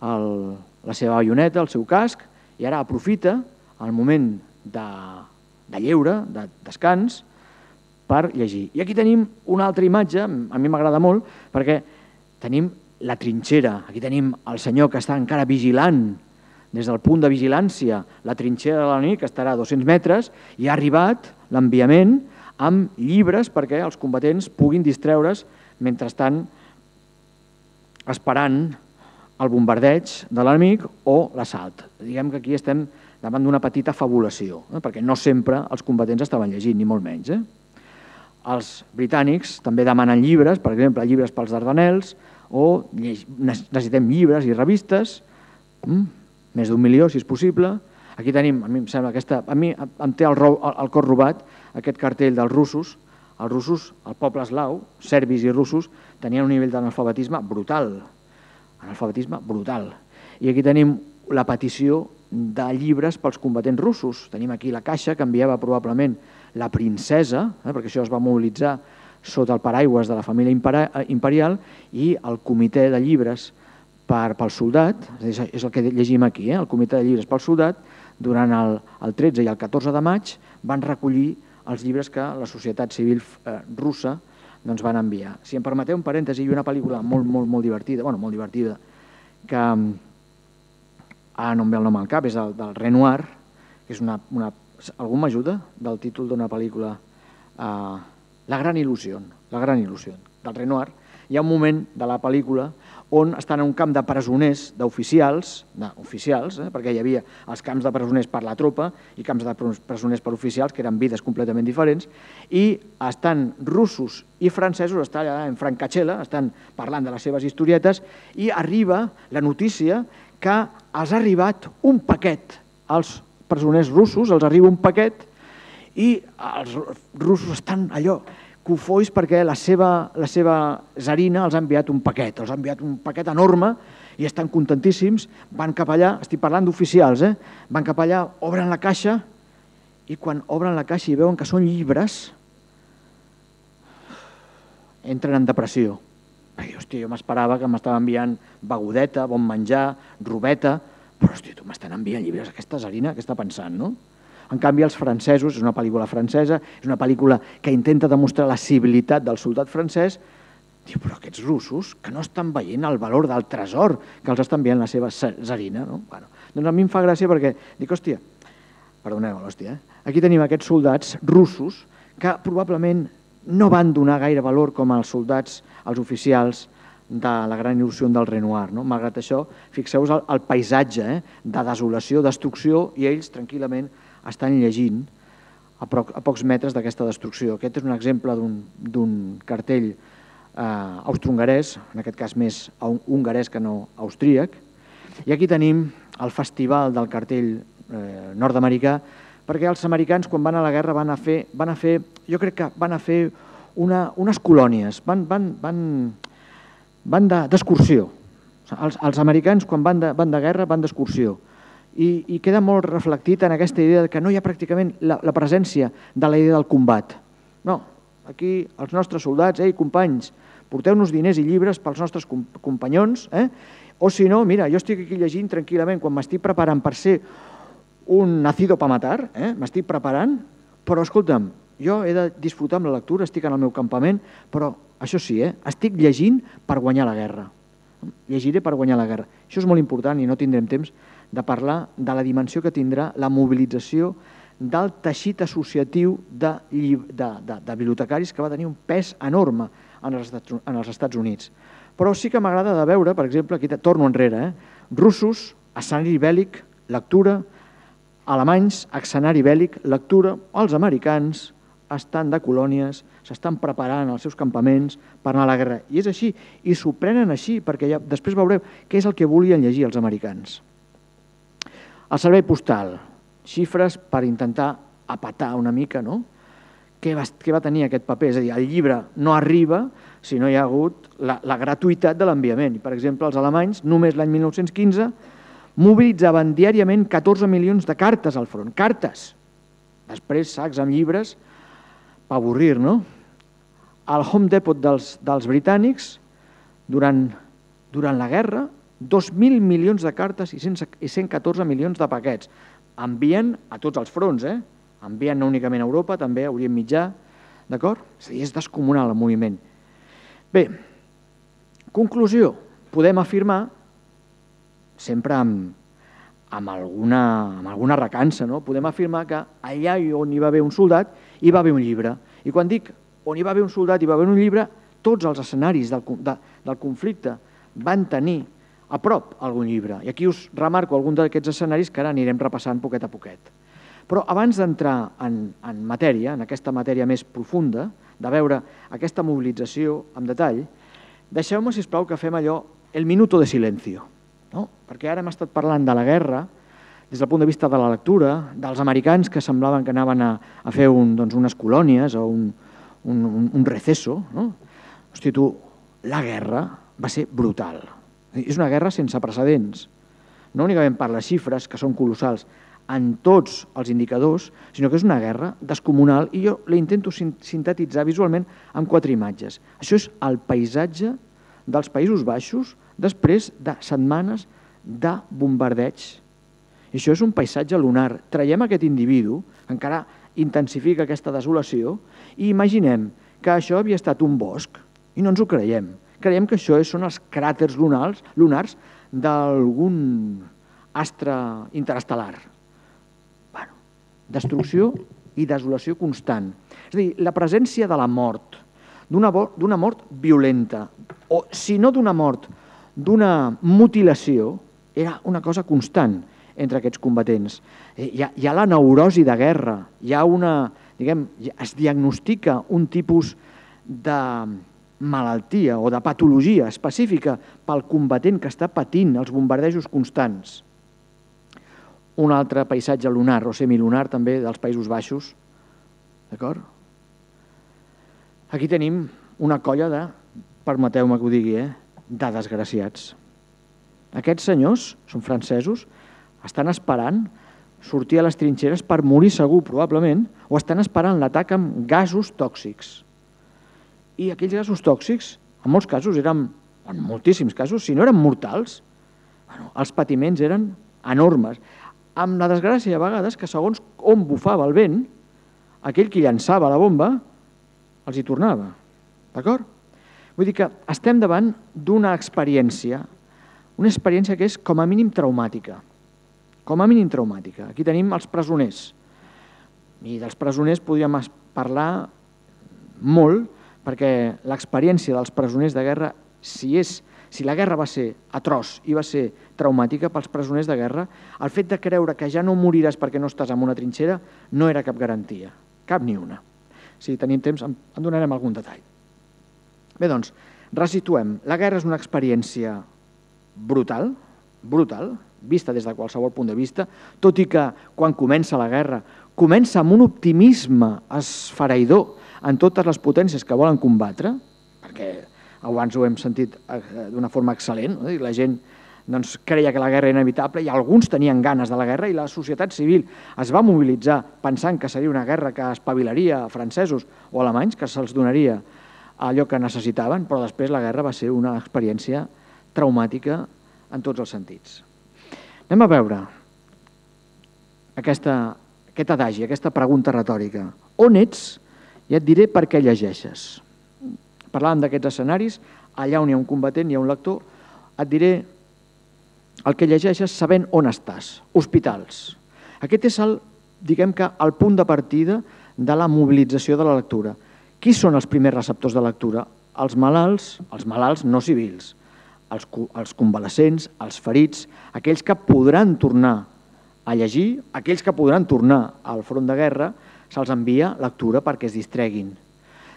la seva baioneta, el seu casc, i ara aprofita el moment de lleure, de descans, per llegir. I aquí tenim una altra imatge, a mi m'agrada molt, perquè tenim la trinxera, aquí tenim el senyor que està encara vigilant, des del punt de vigilància, la trinxera de l'enemic, que estarà a dos-cents metres, i ha arribat l'enviament amb llibres perquè els combatents puguin distreure's mentre estan esperant el bombardeig de l'enemic o l'assalt. Diguem que aquí estem davant d'una petita fabulació, perquè no sempre els combatents estaven llegint, ni molt menys. Els britànics també demanen llibres, per exemple, llibres pels Dardanels, o necessitem llibres i revistes, més d'un milió, si és possible. Aquí tenim, a mi em sembla, aquesta, a mi em té el cor robat, aquest cartell dels russos. Els russos, el poble eslau, serbis i russos, tenien un nivell d'analfabetisme brutal. Analfabetisme brutal. I aquí tenim la petició de llibres pels combatents russos. Tenim aquí la caixa que enviava probablement la princesa, perquè això es va mobilitzar sota el paraigües de la família imperial, i el comitè de llibres pel soldat, és el que llegim aquí, el comitè de llibres pel soldat, durant el tretze i el catorze de maig van recollir els llibres que la societat civil russa van enviar. Si em permeteu un parèntesi, hi ha una pel·lícula molt, molt, molt divertida, bueno, molt divertida, que ara no em ve el nom al cap, és del Renoir, que és una... Algú m'ajuda del títol d'una pel·lícula? La gran il·lusió, la gran il·lusió, del Renoir. Hi ha un moment de la pel·lícula on estan en un camp de presoners, d'oficials, d'oficials, perquè hi havia els camps de presoners per la tropa i camps de presoners per oficials, que eren vides completament diferents, i estan russos i francesos, estan allà en francachela, estan parlant de les seves historietes, i arriba la notícia que els ha arribat un paquet als presoners russos, els arriba un paquet, i els russos estan allò cofois perquè la seva tsarina els ha enviat un paquet, els ha enviat un paquet enorme i estan contentíssims, van cap allà, estic parlant d'oficials, van cap allà, obren la caixa i quan obren la caixa i veuen que són llibres, entren en depressió. Perquè, hòstia, jo m'esperava que m'estava enviant begudeta, bon menjar, robeta, però, hòstia, tu m'estan enviant llibres, aquesta tsarina, què està pensant, no? En canvi, els francesos, és una pel·lícula francesa, és una pel·lícula que intenta demostrar la civilitat del soldat francès, diu, però aquests russos que no estan veient el valor del tresor que els està enviant la seva tsarina, no? Bueno, doncs a mi em fa gràcia perquè dic, hòstia, perdoneu, hòstia, aquí tenim aquests soldats russos que probablement no van donar gaire valor com els soldats, els oficials de la gran il·lusió del Renoir. Malgrat això, fixeu-vos el paisatge de desolació, destrucció, i ells tranquil·lament estan llegint a pocs metres d'aquesta destrucció. Aquest és un exemple d'un cartell austro-hongarès, en aquest cas més hongarès que no austríac, i aquí tenim el festival del cartell nord-americà, perquè els americans quan van a la guerra van a fer, van a fer jo crec que van a fer unes colònies, van, van, van, van d'excursió. Els americans quan van de, van de guerra van d'excursió. I, i queda molt reflectit en aquesta idea que no hi ha pràcticament la, la presència de la idea del combat. No, aquí els nostres soldats, ei, companys, porteu-nos diners i llibres pels nostres companyons, eh? O si no, mira, jo estic aquí llegint tranquil·lament quan m'estic preparant per ser un nacido pa matar, eh? M'estic preparant, però escolta'm, jo he de disfrutar amb la lectura, estic en el meu campament, però això sí, eh? Estic llegint per guanyar la guerra. Llegiré per guanyar la guerra. Això és molt important i no tindrem temps de parlar de la dimensió que tindrà la mobilització del teixit associatiu de, de, de, de bibliotecaris que va tenir un pes enorme en els, en els Estats Units. Però sí que m'agrada de veure, per exemple, aquí torno enrere, eh? russos, escenari bèl·lic, lectura, alemanys, escenari bèl·lic, lectura, els americans estan de colònies, s'estan preparant els seus campaments per anar a la guerra. I és així, i s'ho prenen així, perquè ja, després veureu què és el que volien llegir els americans. El servei postal, xifres per intentar apatar una mica, no? Què va, què va tenir aquest paper? És a dir, el llibre no arriba si no hi ha hagut la, la gratuïtat de l'enviament. Per exemple, els alemanys, només l'any mil nou-cents quinze, mobilitzaven diàriament catorze milions de cartes al front. Cartes! Després sacs amb llibres per avorrir, no? El Home Depot dels, dels britànics durant, durant la guerra, dos mil milions de cartes i cent catorze milions de paquets. Envien a tots els fronts, eh? Envien no únicament a Europa, també a Orient Mitjà, d'acord? És a dir, és descomunal el moviment. Bé, conclusió, podem afirmar, sempre amb, amb, alguna, amb alguna recança, no? Podem afirmar que allà on hi va haver un soldat hi va haver un llibre. I quan dic on hi va haver un soldat hi va haver un llibre, tots els escenaris del, de, del conflicte van tenir a prop algun llibre. I aquí us remarco algun d'aquests escenaris que ara anirem repassant poquet a poquet. Però abans d'entrar en, en matèria, en aquesta matèria més profunda, de veure aquesta mobilització en detall, deixeu-me, sisplau, que fem allò, el minuto de silencio. No? Perquè ara hem estat parlant de la guerra des del punt de vista de la lectura, dels americans que semblaven que anaven a, a fer un, doncs, unes colònies o un, un, un, un receso. No? Hosti, tu, la guerra va ser brutal. És una guerra sense precedents. No únicament per les xifres, que són colossals, en tots els indicadors, sinó que és una guerra descomunal i jo la intento sintetitzar visualment amb quatre imatges. Això és el paisatge dels Països Baixos després de setmanes de bombardeig. I això és un paisatge lunar. Traiem aquest individu, que encara intensifica aquesta desolació, i imaginem que això havia estat un bosc, i no ens ho creiem. Creiem que això són els cràters lunars, lunars d'algun astre interestel·lar. Bueno, destrucció i desolació constant. És a dir, la presència de la mort, d'una mort violenta, o si no d'una mort, d'una mutilació, era una cosa constant entre aquests combatents. Hi ha, hi ha la neurosi de guerra, hi ha una, diguem, es diagnostica un tipus de malaltia o de patologia específica pel combatent que està patint els bombardejos constants. Un altre paisatge lunar o semilunar també dels Països Baixos. D'acord? Aquí tenim una colla de, permeteu-me que ho digui, eh, de desgraciats. Aquests senyors, són francesos, estan esperant sortir a les trinxeres per morir segur, probablement, o estan esperant l'atac amb gasos tòxics. I aquells gasos tòxics, en molts casos eren, en moltíssims casos, si no eren mortals, bueno, els patiments eren enormes. Amb la desgràcia a vegades que segons on bufava el vent, aquell que llançava la bomba els hi tornava. D'acord? Vull dir que estem davant d'una experiència, una experiència que és com a mínim traumàtica. Com a mínim traumàtica. Aquí tenim els presoners. I dels presoners podríem parlar molt, perquè l'experiència dels presoners de guerra, si, és, si la guerra va ser atroç i va ser traumàtica pels presoners de guerra, el fet de creure que ja no moriràs perquè no estàs en una trinxera no era cap garantia, cap ni una. Si tenim temps en donarem algun detall. Bé, doncs, resituem. La guerra és una experiència brutal, brutal, vista des de qualsevol punt de vista, tot i que quan comença la guerra comença amb un optimisme esfereïdor en totes les potències que volen combatre, perquè abans ho hem sentit d'una forma excel·lent, no? La gent doncs, creia que la guerra era inevitable i alguns tenien ganes de la guerra i la societat civil es va mobilitzar pensant que seria una guerra que espavilaria a francesos o alemanys, que se'ls donaria allò que necessitaven, però després la guerra va ser una experiència traumàtica en tots els sentits. Anem a veure aquesta, aquest adagi, aquesta pregunta retòrica. On ets? Ja et diré per què llegeixes. Parlàvem d'aquests escenaris, allà on hi ha un combatent, hi ha un lector, et diré el que llegeixes sabent on estàs. Hospitals. Aquest és el, diguem que, el punt de partida de la mobilització de la lectura. Qui són els primers receptors de lectura? Els malalts, els malalts no civils, els, els convalescents, els ferits, aquells que podran tornar a llegir, aquells que podran tornar al front de guerra, se'ls envia lectura perquè es distreguin.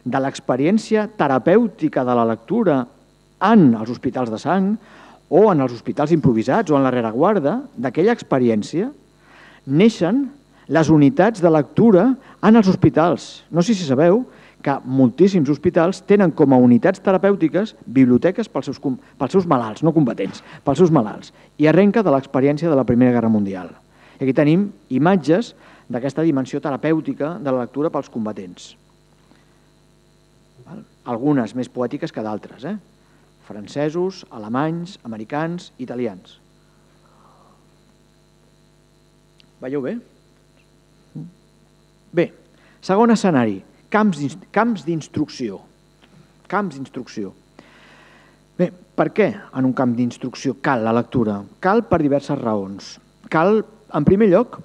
De l'experiència terapèutica de la lectura en els hospitals de sang o en els hospitals improvisats o en la rereguarda, d'aquella experiència, neixen les unitats de lectura en els hospitals. No sé si sabeu que moltíssims hospitals tenen com a unitats terapèutiques biblioteques pels seus, pels seus malalts, no combatents, pels seus malalts, i arrenca de l'experiència de la Primera Guerra Mundial. I aquí tenim imatges d'aquesta dimensió terapèutica de la lectura pels combatents. Algunes més poètiques que d'altres. Eh? francesos, alemanys, americans, italians. Veieu bé? Bé, segon escenari, camps d'instrucció. Camps d'instrucció. Bé, per què en un camp d'instrucció cal la lectura? Cal per diverses raons. Cal, en primer lloc,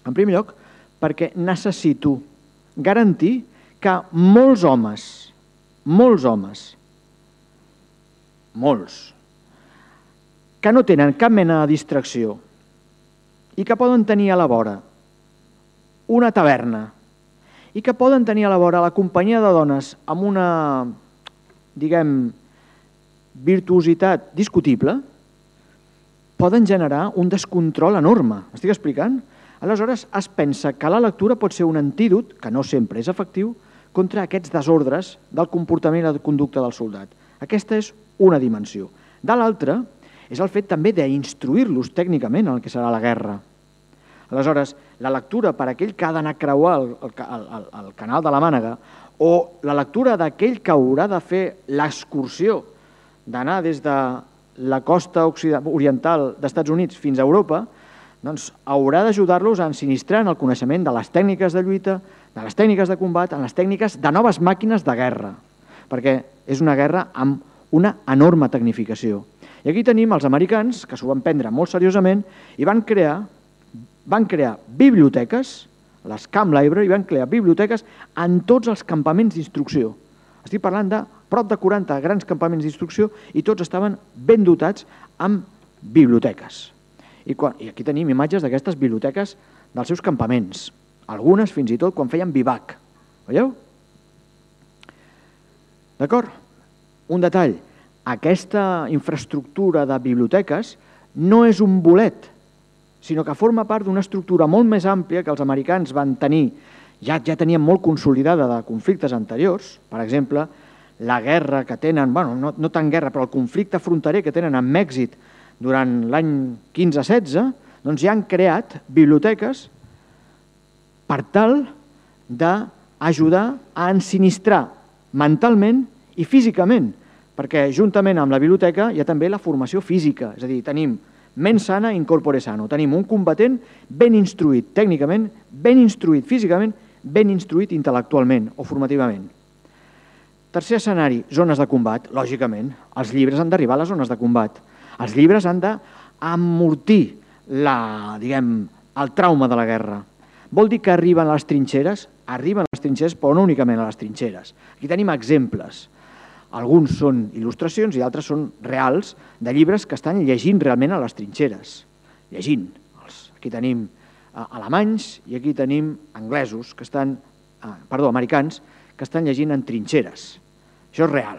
en primer lloc, perquè necessito garantir que molts homes, molts homes, molts, que no tenen cap mena de distracció i que poden tenir a la vora una taverna i que poden tenir a la vora la companyia de dones amb una, diguem, virtuositat discutible, poden generar un descontrol enorme. M'estic explicant? Aleshores, es pensa que la lectura pot ser un antídot, que no sempre és efectiu, contra aquests desordres del comportament i la conducta del soldat. Aquesta és una dimensió. De l'altra, és el fet també d'instruir-los tècnicament en el que serà la guerra. Aleshores, la lectura per aquell que ha d'anar a creuar el, el, el, el canal de la Mànega o la lectura d'aquell que haurà de fer l'excursió d'anar des de la costa oriental d'Estats Units fins a Europa, doncs haurà d'ajudar-los a ensinistrar en el coneixement de les tècniques de lluita, de les tècniques de combat, en les tècniques de noves màquines de guerra, perquè és una guerra amb una enorme tecnificació. I aquí tenim els americans, que s'ho van prendre molt seriosament, i van crear, van crear biblioteques, les Camp Library, van crear biblioteques en tots els campaments d'instrucció. Estic parlant de prop de quaranta grans campaments d'instrucció i tots estaven ben dotats amb biblioteques. I, quan, I aquí tenim imatges d'aquestes biblioteques dels seus campaments, algunes fins i tot quan feien bivac. Veieu? D'acord? Un detall, aquesta infraestructura de biblioteques no és un bolet, sinó que forma part d'una estructura molt més àmplia que els americans van tenir, ja, ja tenien molt consolidada de conflictes anteriors, per exemple, la guerra que tenen, bueno, no, no tant guerra, però el conflicte fronterer que tenen amb Mèxic durant l'any quinze setze, doncs ja han creat biblioteques per tal d'ajudar a ensinistrar mentalment i físicament, perquè juntament amb la biblioteca hi ha també la formació física, és a dir, tenim mens sana in corpore sano, tenim un combatent ben instruït tècnicament, ben instruït físicament, ben instruït intel·lectualment o formativament. Tercer escenari, zones de combat. Lògicament, els llibres han d'arribar a les zones de combat. Els llibres han d'amortir la, diguem, el trauma de la guerra. Vol dir que arriben a les trinxeres? Arriben a les trinxeres, però no únicament a les trinxeres. Aquí tenim exemples. Alguns són il·lustracions i altres són reals de llibres que estan llegint realment a les trinxeres. Llegint. Aquí tenim alemanys i aquí tenim anglesos, que estan, perdó, americans, que estan llegint en trinxeres. Això és real.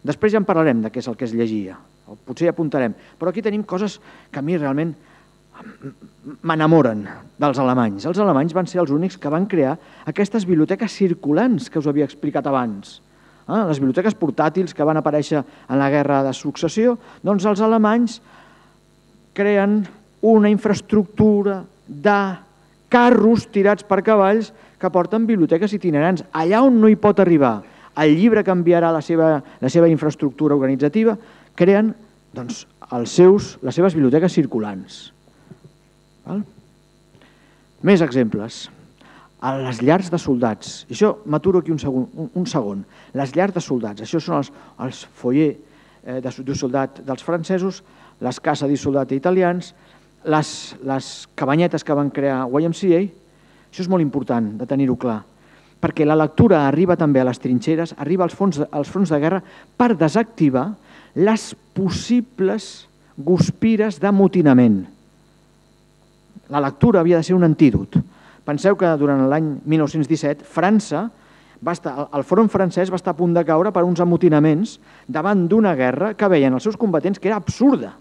Després ja en parlarem de què és el que es llegia, o potser ja apuntarem, però aquí tenim coses que a mi realment m'enamoren dels alemanys. Els alemanys van ser els únics que van crear aquestes biblioteques circulants que us havia explicat abans. Les biblioteques portàtils que van aparèixer en la guerra de successió, doncs els alemanys creen una infraestructura de carros tirats per cavalls que porten biblioteques itinerants. Allà on no hi pot arribar el llibre canviarà la seva, la seva infraestructura organitzativa, creen doncs, els seus, les seves biblioteques circulants. Val? Més exemples. A les llars de soldats. I això m'aturo aquí un segon, un, un segon. Les llars de soldats. Això són els, els foyer eh, de, de soldat dels francesos, les cases de soldat italians, les, les cabanyetes que van crear Y M C A. Això és molt important de tenir-ho clar, perquè la lectura arriba també a les trinxeres, arriba als fronts, als fronts de guerra per desactivar les possibles guspires d'amotinament. La lectura havia de ser un antídot. Penseu que durant l'any mil nou-cents disset França, va estar, el front francès va estar a punt de caure per uns amotinaments davant d'una guerra que veien els seus combatents que era absurda,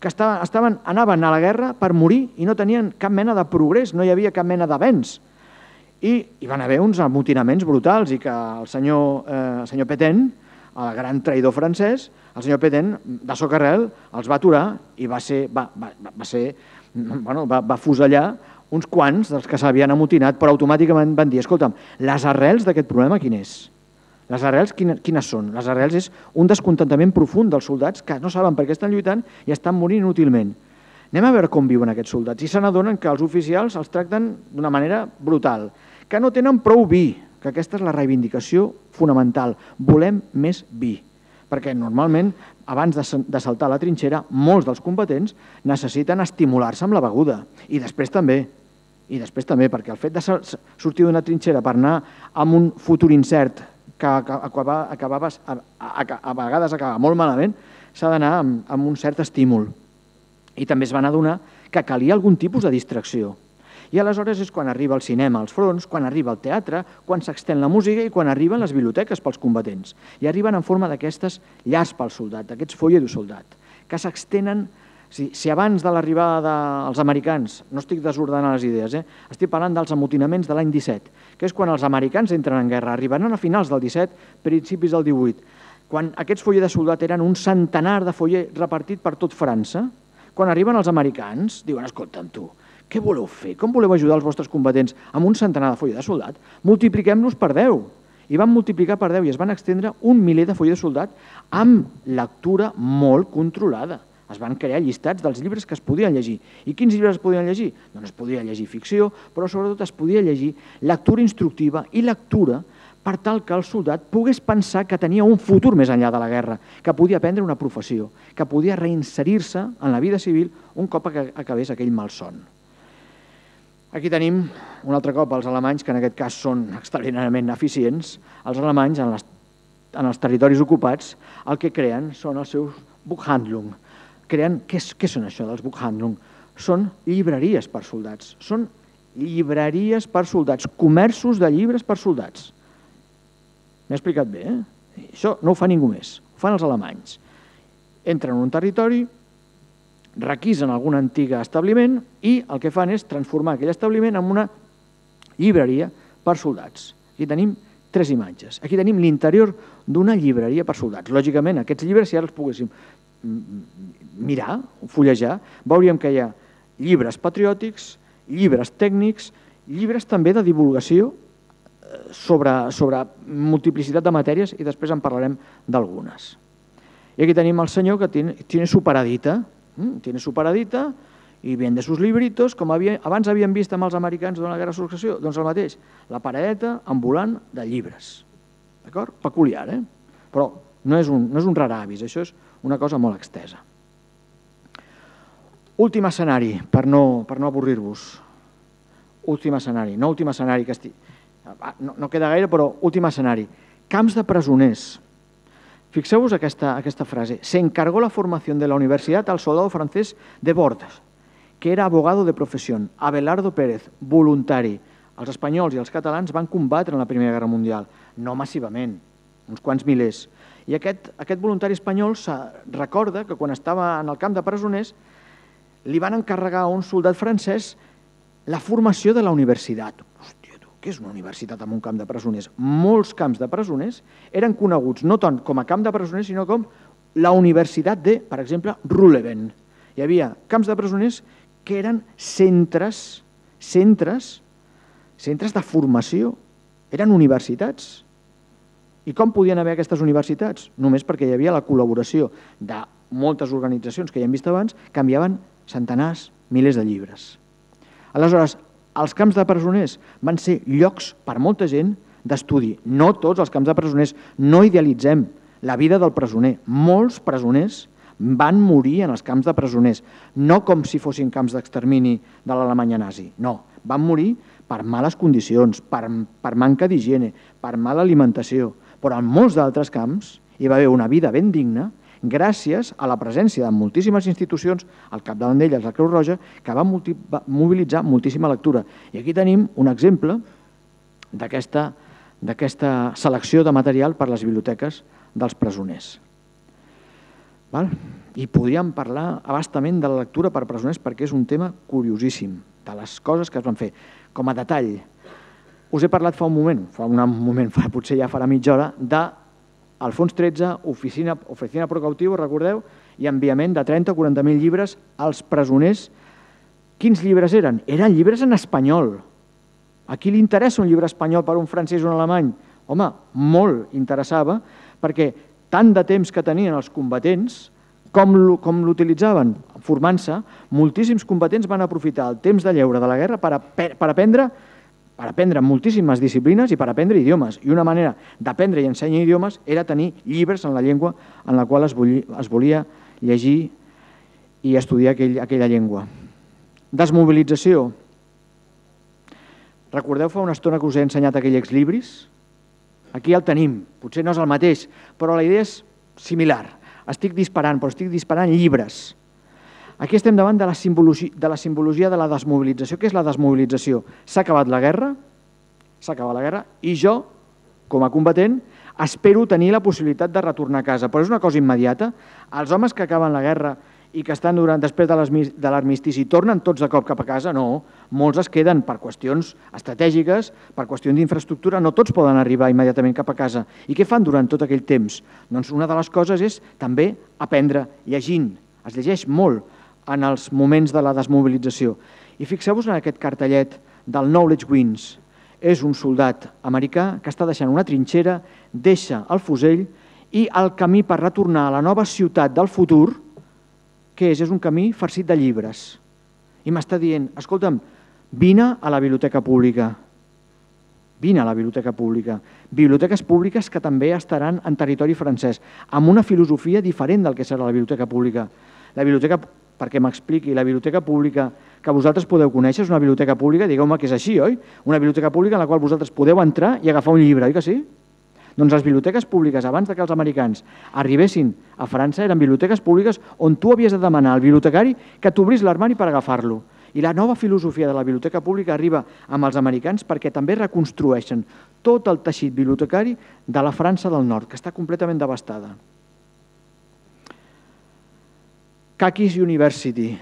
que estaven, estaven, anaven a la guerra per morir i no tenien cap mena de progrés, no hi havia cap mena d'avenç. I hi van haver uns amotinaments brutals i que el senyor, eh, el senyor Pétain, el gran traïdor francès, el senyor Pétain, de socarrel, els va aturar i va ser, va, va, va ser, bueno, va, va fusellar uns quants dels que s'havien amotinat, però automàticament van dir, escolta'm, les arrels d'aquest problema quin és? Les arrels quines són? Les arrels és un descontentament profund dels soldats que no saben per què estan lluitant i estan morint inútilment. Anem a veure com viuen aquests soldats i se n'adonen que els oficials els tracten d'una manera brutal, que no tenen prou vi, que aquesta és la reivindicació fonamental. Volem més vi, perquè normalment abans de saltar a la trinxera molts dels combatents necessiten estimular-se amb la beguda i després també. I després també, perquè el fet de sortir d'una trinxera per anar amb un futur incert que acabava, acabava, a, a, a vegades acaba molt malament, s'ha d'anar amb, amb un cert estímul. I també es van adonar que calia algun tipus de distracció. I aleshores és quan arriba el cinema als fronts, quan arriba el teatre, quan s'extén la música i quan arriben les biblioteques pels combatents. I arriben en forma d'aquestes llars pel soldat, d'aquests foller du soldat, que s'extenen. Si, si abans de l'arribada dels americans, no estic desordenant les idees, eh? estic parlant dels amotinaments de l'any disset, que és quan els americans entren en guerra, arribaran a finals del disset, principis del divuit, quan aquests follers de soldat eren un centenar de foller repartit per tot França, quan arriben els americans, diuen, escolta'm tu, què voleu fer? Com voleu ajudar els vostres combatents amb un centenar de foller de soldat? Multipliquem-los per deu. I van multiplicar per deu i es van extendre un miler de foller de soldat amb lectura molt controlada. Es van crear llistats dels llibres que es podien llegir. I quins llibres es podien llegir? Doncs es podia llegir ficció, però sobretot es podia llegir lectura instructiva i lectura per tal que el soldat pogués pensar que tenia un futur més enllà de la guerra, que podia aprendre una professió, que podia reinserir-se en la vida civil un cop acabés aquell malson. Aquí tenim un altre cop els alemanys, que en aquest cas són extraordinàriament eficients. Els alemanys, en, les, en els territoris ocupats, el que creen són els seus Buchhandlung. Creen, què, què són això dels Buchhandlung? Són llibreries per soldats. Són llibreries per soldats, comerços de llibres per soldats. M'he explicat bé, eh? Això no ho fa ningú més, ho fan els alemanys. Entren en un territori, requisen algun antic establiment i el que fan és transformar aquell establiment en una llibreria per soldats. Aquí tenim tres imatges. Aquí tenim l'interior d'una llibreria per soldats. Lògicament, aquests llibres, si ara els poguéssim mirar, fullejar, veuríem que hi ha llibres patriòtics, llibres tècnics, llibres també de divulgació sobre, sobre multiplicitat de matèries i després en parlarem d'algunes. Y aquí tenemos al señor que tiene, tiene su paradita, ¿eh? tiene su paradita i vende sus libritos, com havia, abans havien vist amb els americans durant la Guerra de Successió, doncs el mateix, la paradeta ambulant de llibres. D'acord? Peculiar, eh? Però no és un, no és un rar avis, això és una cosa molt extesa. Últim escenari, per no, per no avorrir-vos. Últim escenari, no últim escenari, que estic... no, no queda gaire, però últim escenari. Camps de presoners. Fixeu-vos aquesta, aquesta frase. Se encargó la formación de la universidad al soldado francés de Bordes, que era abogado de profesión, Abelardo Pérez, voluntari. Els espanyols i els catalans van combatre en la Primera Guerra Mundial, no massivament, uns quants milers. I aquest, aquest voluntari espanyol recorda que quan estava en el camp de presoners li van encarregar a un soldat francès la formació de la universitat. Hòstia, tu, què és una universitat en un camp de presoners? Molts camps de presoners eren coneguts no tant com a camp de presoners, sinó com la universitat de, per exemple, Ruhleben. Hi havia camps de presoners que eren centres, centres, centres de formació, eren universitats. I com podien haver aquestes universitats? Només perquè hi havia la col·laboració de moltes organitzacions que ja hem vist abans que enviaven centenars, milers de llibres. Aleshores, els camps de presoners van ser llocs per molta gent d'estudi. No tots els camps de presoners, no idealitzem la vida del presoner. Molts presoners van morir en els camps de presoners, no com si fossin camps d'extermini de l'Alemanya nazi, no, van morir per males condicions, per, per manca d'higiene, per mala alimentació, però en molts d'altres camps hi va haver una vida ben digna gràcies a la presència de moltíssimes institucions, al capdavant d'elles la Creu Roja, que va mobilitzar moltíssima lectura. I aquí tenim un exemple d'aquesta d'aquesta selecció de material per a les biblioteques dels presoners. Val? I podríem parlar abastament de la lectura per presoners perquè és un tema curiosíssim, de les coses que es van fer. Com a detall, us he parlat fa un moment, fa un moment, fa, potser ja farà mitja hora, de al fons tretze, oficina, oficina pro cautivo, recordeu, i enviament de trenta o quaranta mil llibres als presoners. Quins llibres eren? Eren llibres en espanyol. A qui li interessa un llibre espanyol per un francès o un alemany? home, molt interessava, perquè tant de temps que tenien els combatents, com l'utilitzaven formant-se, moltíssims combatents van aprofitar el temps de lleure de la guerra per aprendre per aprendre moltíssimes disciplines i per aprendre idiomes. I una manera d'aprendre i ensenyar idiomes era tenir llibres en la llengua en la qual es volia llegir i estudiar aquella llengua. Desmobilització. Recordeu fa una estona que us he ensenyat aquell exlibris? Aquí el tenim, potser no és el mateix, però la idea és similar. Estic disparant, però estic disparant llibres. Aquí estem davant de la simbologia de la desmobilització. Què és la desmobilització? S'ha acabat la guerra, s'ha acabat la guerra, i jo, com a combatent, espero tenir la possibilitat de retornar a casa. Però és una cosa immediata. Els homes que acaben la guerra i que estan durant després de l'armistici tornen tots de cop cap a casa? No, molts es queden per qüestions estratègiques, per qüestions d'infraestructura, no tots poden arribar immediatament cap a casa. I què fan durant tot aquell temps? Doncs una de les coses és també aprendre llegint. Es llegeix molt en els moments de la desmobilització. I fixeu-vos en aquest cartellet del Knowledge Wins. És un soldat americà que està deixant una trinxera, deixa el fusell i el camí per retornar a la nova ciutat del futur, què és? És un camí farcit de llibres. I m'està dient, escolta'm, vine a la biblioteca pública. Vine a la biblioteca pública. Biblioteques públiques que també estaran en territori francès, amb una filosofia diferent del que serà la biblioteca pública. La biblioteca, perquè m'expliqui, la biblioteca pública que vosaltres podeu conèixer és una biblioteca pública, digueu-me que és així, oi? Una biblioteca pública en la qual vosaltres podeu entrar i agafar un llibre, oi que sí? Doncs les biblioteques públiques, abans que els americans arribessin a França, eren biblioteques públiques on tu havies de demanar al bibliotecari que t'obrís l'armari per agafar-lo. I la nova filosofia de la biblioteca pública arriba amb els americans perquè també reconstrueixen tot el teixit bibliotecari de la França del Nord, que està completament devastada. Kakis University.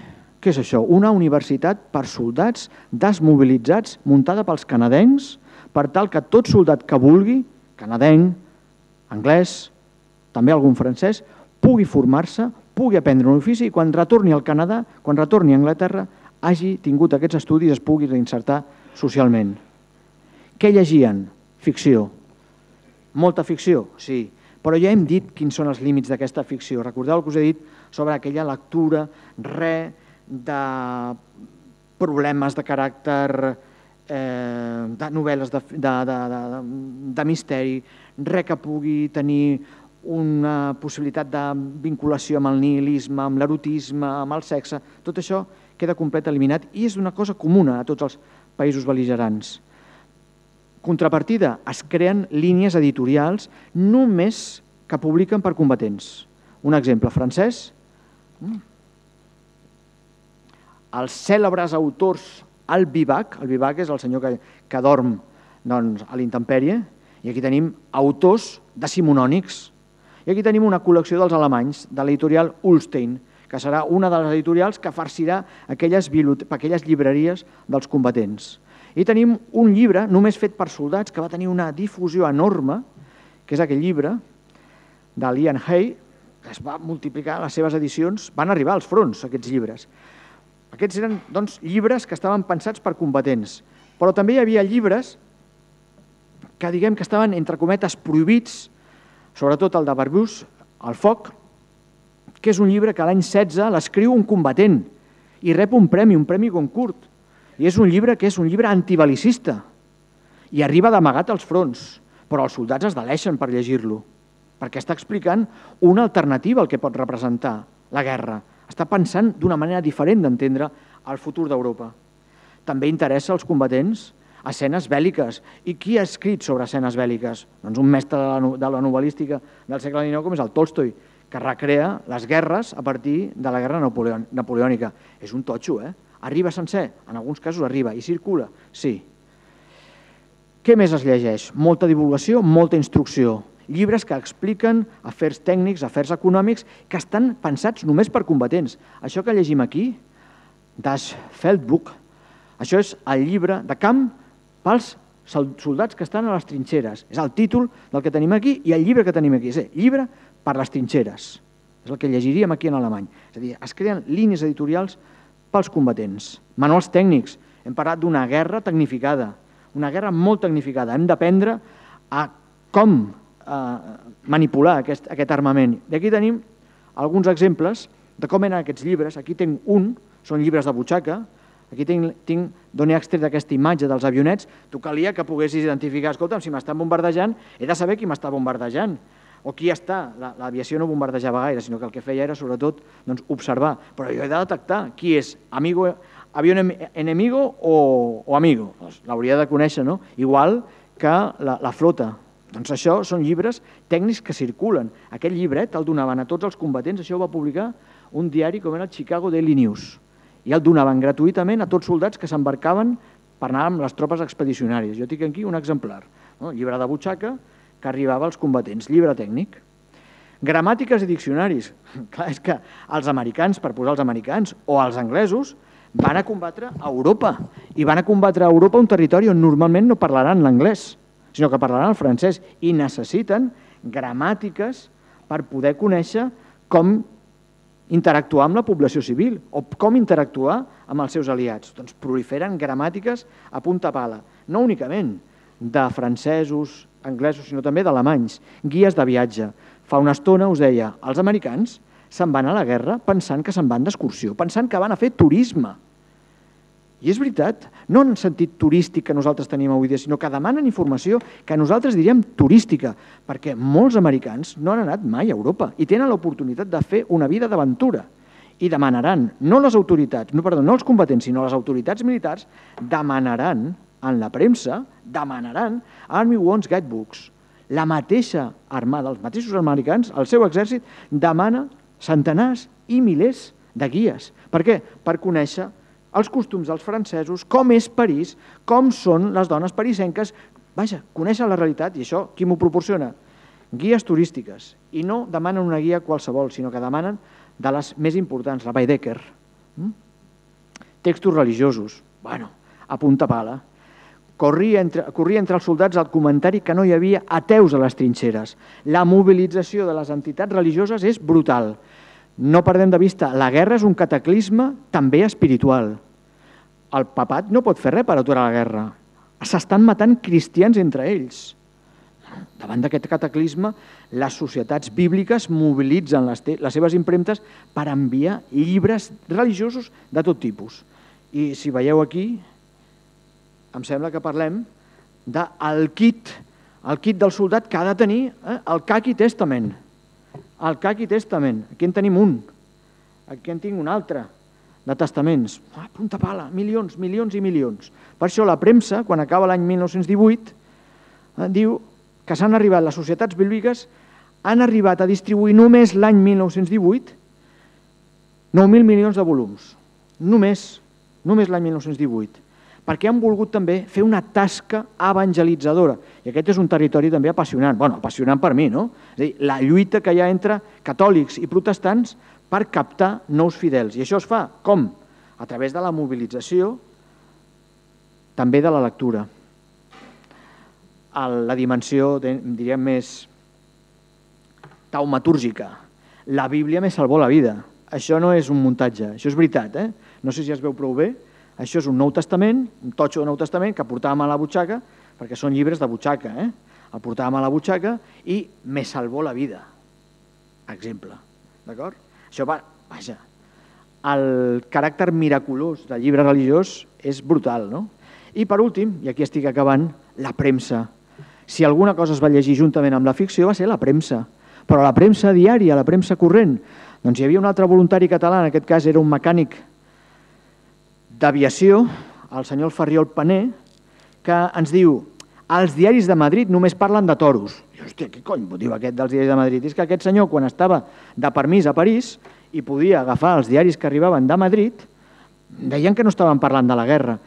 Què és això? Una universitat per soldats desmobilitzats muntada pels canadencs per tal que tot soldat que vulgui, canadenc, anglès, també algun francès, pugui formar-se, pugui aprendre un ofici i quan retorni al Canadà, quan retorni a Anglaterra, hagi tingut aquests estudis i es pugui reinsertar socialment. Què llegien? Ficció. Molta ficció? Sí. Però ja hem dit quins són els límits d'aquesta ficció. Recordeu el que us he dit sobre aquella lectura, re de problemes de caràcter, de novel·les de misteri, res que pugui tenir una possibilitat de vinculació amb el nihilisme, amb l'erotisme, amb el sexe. Tot això queda complet eliminat i és una cosa comuna a tots els països bel·ligerants. Contrapartida, es creen línies editorials només que publiquen per combatents. Un exemple francès, els cèlebres autors Al Vivac, el Vivac és el senyor que, que dorm doncs, a l'intempèrie, i aquí tenim autors decimonònics. I aquí tenim una col·lecció dels alemanys, de l'editorial Ullstein, que serà una de les editorials que farcirà aquelles, aquelles llibreries dels combatents. I tenim un llibre només fet per soldats que va tenir una difusió enorme, que és aquell llibre de l'Ian Hay, que es va multiplicar les seves edicions, van arribar als fronts aquests llibres. Aquests eren doncs, llibres que estaven pensats per combatents, però també hi havia llibres que diguem que estaven entre cometes prohibits, sobretot el de Barbus, El foc, que és un llibre que l'any setze l'escriu un combatent i rep un premi, un premi Goncourt. I és un llibre que és un llibre antibelicista i arriba d'amagat als fronts, però els soldats es deleixen per llegir-lo, perquè està explicant una alternativa al que pot representar la guerra. Està pensant d'una manera diferent d'entendre el futur d'Europa. També interessa als combatents escenes bèl·liques. I qui ha escrit sobre escenes bèl·liques? Doncs un mestre de la novel·lística del segle dinou com és el Tolstoi, que recrea les guerres a partir de la guerra napoleònica. És un totxo, eh? Arriba sencer? En alguns casos arriba. I circula? Sí. Què més es llegeix? Molta divulgació, molta instrucció. Llibres que expliquen afers tècnics, afers econòmics, que estan pensats només per combatents. Això que llegim aquí, Das Feldbuch, això és el llibre de camp pels soldats que estan a les trinxeres. És el títol del que tenim aquí i el llibre que tenim aquí. És el llibre per les trinxeres. És el que llegiríem aquí en alemany. És a dir, es creen línies editorials pels combatents. Manuals tècnics. Hem parlat d'una guerra tecnificada, una guerra molt tecnificada. Hem d'aprendre a com manipular aquest armament. I aquí tenim alguns exemples de com eren aquests llibres. Aquí tinc un, són llibres de butxaca. Aquí tinc d'on he extret aquesta imatge dels avionets. Tu calia que poguessis identificar, escolta'm, si m'estan bombardejant, he de saber qui m'està bombardejant o qui està. L'aviació no bombardejava gaire, sinó que el que feia era, sobretot, observar. Però jo he de detectar qui és avió enemigo o amigo. L'hauria de conèixer, no? Igual que la flota. Doncs això són llibres tècnics que circulen. Aquest llibret el donaven a tots els combatents, això ho va publicar un diari com era el Chicago Daily News, i el donaven gratuïtament a tots soldats que s'embarcaven per anar amb les tropes expedicionàries. Jo tinc aquí un exemplar, llibre de butxaca que arribava als combatents, llibre tècnic. Gramàtiques i diccionaris. Clar, és que els americans, per posar els americans, o els anglesos, van a combatre a Europa, i van a combatre a Europa un territori on normalment no parlaran l'anglès, sinó que parlaran el francès, i necessiten gramàtiques per poder conèixer com interactuar amb la població civil o com interactuar amb els seus aliats. Doncs proliferen gramàtiques a punta pala, no únicament de francesos, anglesos, sinó també d'alemanys, guies de viatge. Fa una estona us deia, els americans se'n van a la guerra pensant que se'n van d'excursió, pensant que van a fer turisme. I és veritat, no en sentit turístic que nosaltres tenim avui dia, sinó que demanen informació que nosaltres diríem turística, perquè molts americans no han anat mai a Europa i tenen l'oportunitat de fer una vida d'aventura. I demanaran, no les autoritats, no, perdó, no els combatents, sinó les autoritats militars, demanaran en la premsa, demanaran Army Wants Guidebooks. La mateixa armada, els mateixos americans, el seu exèrcit, demana centenars i milers de guies. Per què? Per conèixer els costums dels francesos, com és París, com són les dones parisenques. Vaja, conèixer la realitat, i això qui m'ho proporciona? Guies turístiques. I no demanen una guia qualsevol, sinó que demanen de les més importants, la Baedeker. Textos religiosos. Bueno, a punta pala. Corria entre, corria entre els soldats el comentari que no hi havia ateus a les trinxeres. La mobilització de les entitats religioses és brutal. No perdem de vista, la guerra és un cataclisme també espiritual. El papat no pot fer res per aturar la guerra. S'estan matant cristians entre ells. Davant d'aquest cataclisme, les societats bíbliques mobilitzen les, les seves impremtes per enviar llibres religiosos de tot tipus. I si veieu aquí, em sembla que parlem del kit, el kit del soldat que ha de tenir eh, el Khaki Testament. El Khaki Testament, aquí en tenim un, aquí en tinc un altre, de testaments. Ah, punta pala, milions, milions i milions. Per això la premsa, quan acaba l'any mil nou-cents divuit, eh, diu que s'han arribat, les societats bíbliques han arribat a distribuir només l'any mil nou-cents divuit nou mil milions de volums. Només, només l'any mil nou-cents divuit. Perquè han volgut també fer una tasca evangelitzadora. I aquest és un territori també apassionant. Bueno, apassionant per mi, no? És a dir, la lluita que hi ha entre catòlics i protestants per captar nous fidels. I això es fa com? A través de la mobilització, també de la lectura. La dimensió, diríem, més taumatúrgica. La Bíblia me salvó la vida. Això no és un muntatge, això és veritat, eh? No sé si es veu prou bé. Això és un Nou Testament, un totxo de Nou Testament que portàvem a la butxaca, perquè són llibres de butxaca, eh? El portàvem a la butxaca i me salvó la vida. Exemple, d'acord? Això va, vaja, el caràcter miraculós del llibre religiós és brutal, no? I per últim, i aquí estic acabant, la premsa. Si alguna cosa es va llegir juntament amb la ficció va ser la premsa, però la premsa diària, la premsa corrent, doncs hi havia un altre voluntari català, en aquest cas era un mecànic d'aviació, el senyor Ferriol Paner, que ens diu els diaris de Madrid només parlen de toros. I, hòstia, què cony diu aquest dels diaris de Madrid? És que aquest senyor, quan estava de permís a París i podia agafar els diaris que arribaven de Madrid, deien que no estaven parlant de la guerra,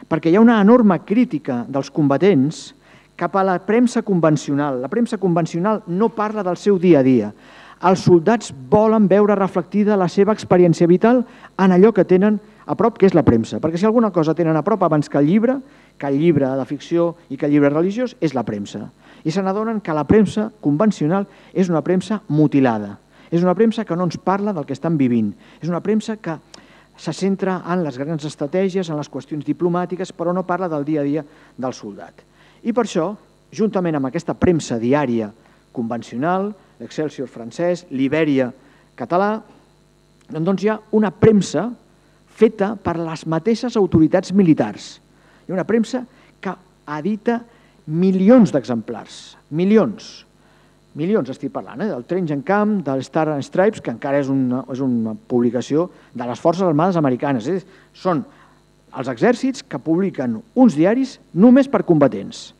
perquè hi ha una enorme crítica dels combatents cap a la premsa convencional. La premsa convencional no parla del seu dia a dia. Els soldats volen veure reflectida la seva experiència vital en allò que tenen a prop, que és la premsa. Perquè si alguna cosa tenen a prop abans que el llibre, que el llibre de ficció i que el llibre religiós, és la premsa. I se n'adonen que la premsa convencional és una premsa mutilada. És una premsa que no ens parla del que estan vivint. És una premsa que se centra en les grans estratègies, en les qüestions diplomàtiques, però no parla del dia a dia del soldat. I per això juntament amb aquesta premsa diària convencional, l'Excelsior francès, l'Ibèria català, doncs hi ha una premsa feta per les mateixes autoritats militars. Hi ha una premsa que edita milions d'exemplars, milions, milions estic parlant, eh? del Trench and Camp, del Star and Stripes, que encara és una, és una publicació de les Forces Armades Americanes. Eh? Són els exèrcits que publiquen uns diaris només per combatents.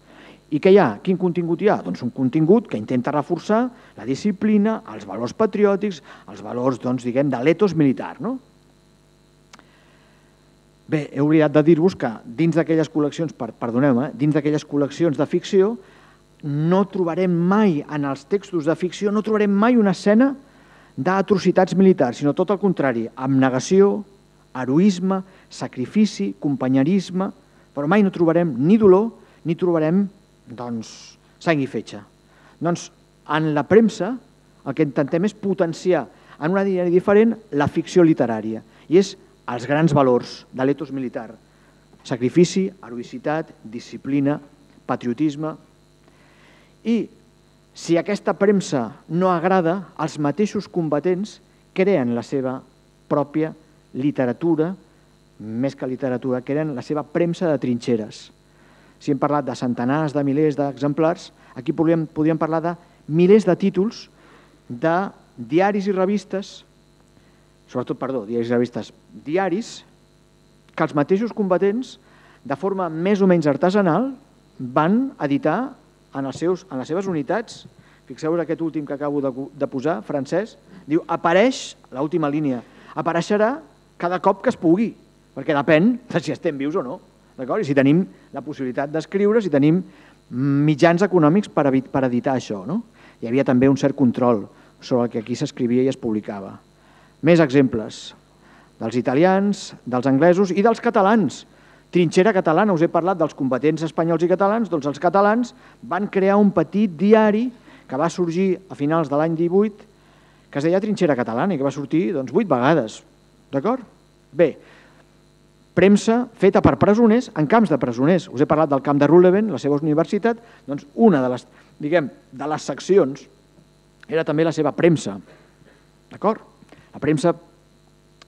I què hi ha? Quin contingut hi ha? Doncs un contingut que intenta reforçar la disciplina, els valors patriòtics, els valors, doncs, diguem, de l'etos militar, no? Bé, he oblidat de dir-vos que dins d'aquelles col·leccions, perdoneu-me, dins d'aquelles col·leccions de ficció, no trobarem mai, en els textos de ficció, no trobarem mai una escena d'atrocitats militars, sinó tot el contrari, abnegació, heroisme, sacrifici, companyerisme, però mai no trobarem ni dolor, ni trobarem, doncs, sang i fetge. Doncs, en la premsa, el que intentem és potenciar en una línia diferent la ficció literària, i és els grans valors de l'etos militar: sacrifici, heroïcitat, disciplina, patriotisme. I si aquesta premsa no agrada, els mateixos combatents creen la seva pròpia literatura, més que literatura, creen la seva premsa de trinxeres. Si hem parlat de centenars de milers d'exemplars, aquí podríem, podríem parlar de milers de títols de diaris i revistes, sobretot, perdó, diaris i revistes, diaris que els mateixos combatents, de forma més o menys artesanal, van editar en, els seus, en les seves unitats. Fixeu-vos aquest últim que acabo de, de posar, francès, diu, apareix, l'última línia, apareixerà cada cop que es pugui, perquè depèn de si estem vius o no, d'acord? I si tenim la possibilitat d'escriure, si tenim mitjans econòmics per, per editar això, no? Hi havia també un cert control sobre el que aquí s'escrivia i es publicava. Més exemples dels italians, dels anglesos i dels catalans. Trinxera catalana, us he parlat dels combatents espanyols i catalans, doncs els catalans van crear un petit diari que va sorgir a finals de l'any divuit, que es deia Trinxera catalana i que va sortir doncs, vuit vegades. D'acord? Bé, premsa feta per presoners en camps de presoners. Us he parlat del camp de Ruhleben, la seva universitat, doncs una de les, diguem, de les seccions era també la seva premsa. D'acord? La premsa,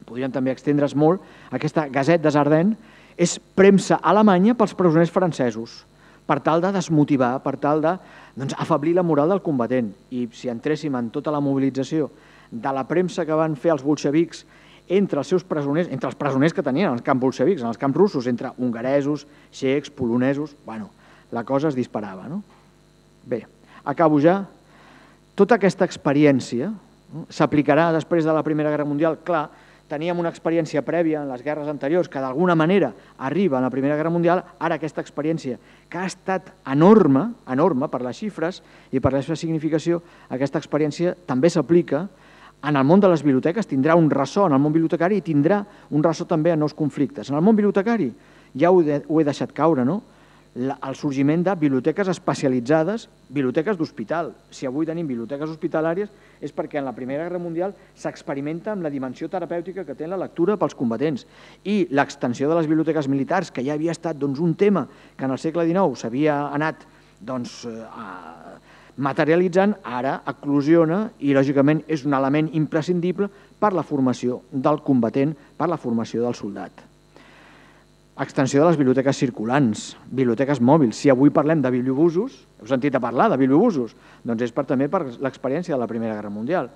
podríem també extendre's molt, aquesta Gazette des Ardennes és premsa alemanya pels presoners francesos, per tal de desmotivar, per tal de doncs, afeblir la moral del combatent. I si entréssim en tota la mobilització de la premsa que van fer els bolxevics entre els seus presoners, entre els presoners que tenien als camps bolxevics, en els camps russos, entre hongaresos, txecs, polonesos, bueno, la cosa es disparava, no? Bé, acabo ja. Tota aquesta experiència s'aplicarà després de la Primera Guerra Mundial. Clar, teníem una experiència prèvia en les guerres anteriors que d'alguna manera arriba a la Primera Guerra Mundial, ara aquesta experiència que ha estat enorme, enorme per les xifres i per la seva significació, aquesta experiència també s'aplica en el món de les biblioteques, tindrà un ressò en el món bibliotecari i tindrà un ressò també en nous conflictes. En el món bibliotecari ja ho he deixat caure, no? El sorgiment de biblioteques especialitzades, biblioteques d'hospital. Si avui tenim biblioteques hospitalàries és perquè en la Primera Guerra Mundial s'experimenta amb la dimensió terapèutica que té la lectura pels combatents. I l'extensió de les biblioteques militars, que ja havia estat doncs, un tema que en el segle dinou s'havia anat doncs, eh, materialitzant, ara eclosiona i lògicament és un element imprescindible per la formació del combatent, per la formació del soldat. Extensió de les biblioteques circulants, biblioteques mòbils. Si avui parlem de bibliobusos, heu sentit a parlar de bibliobusos, doncs és per, també per l'experiència de la Primera Guerra Mundial.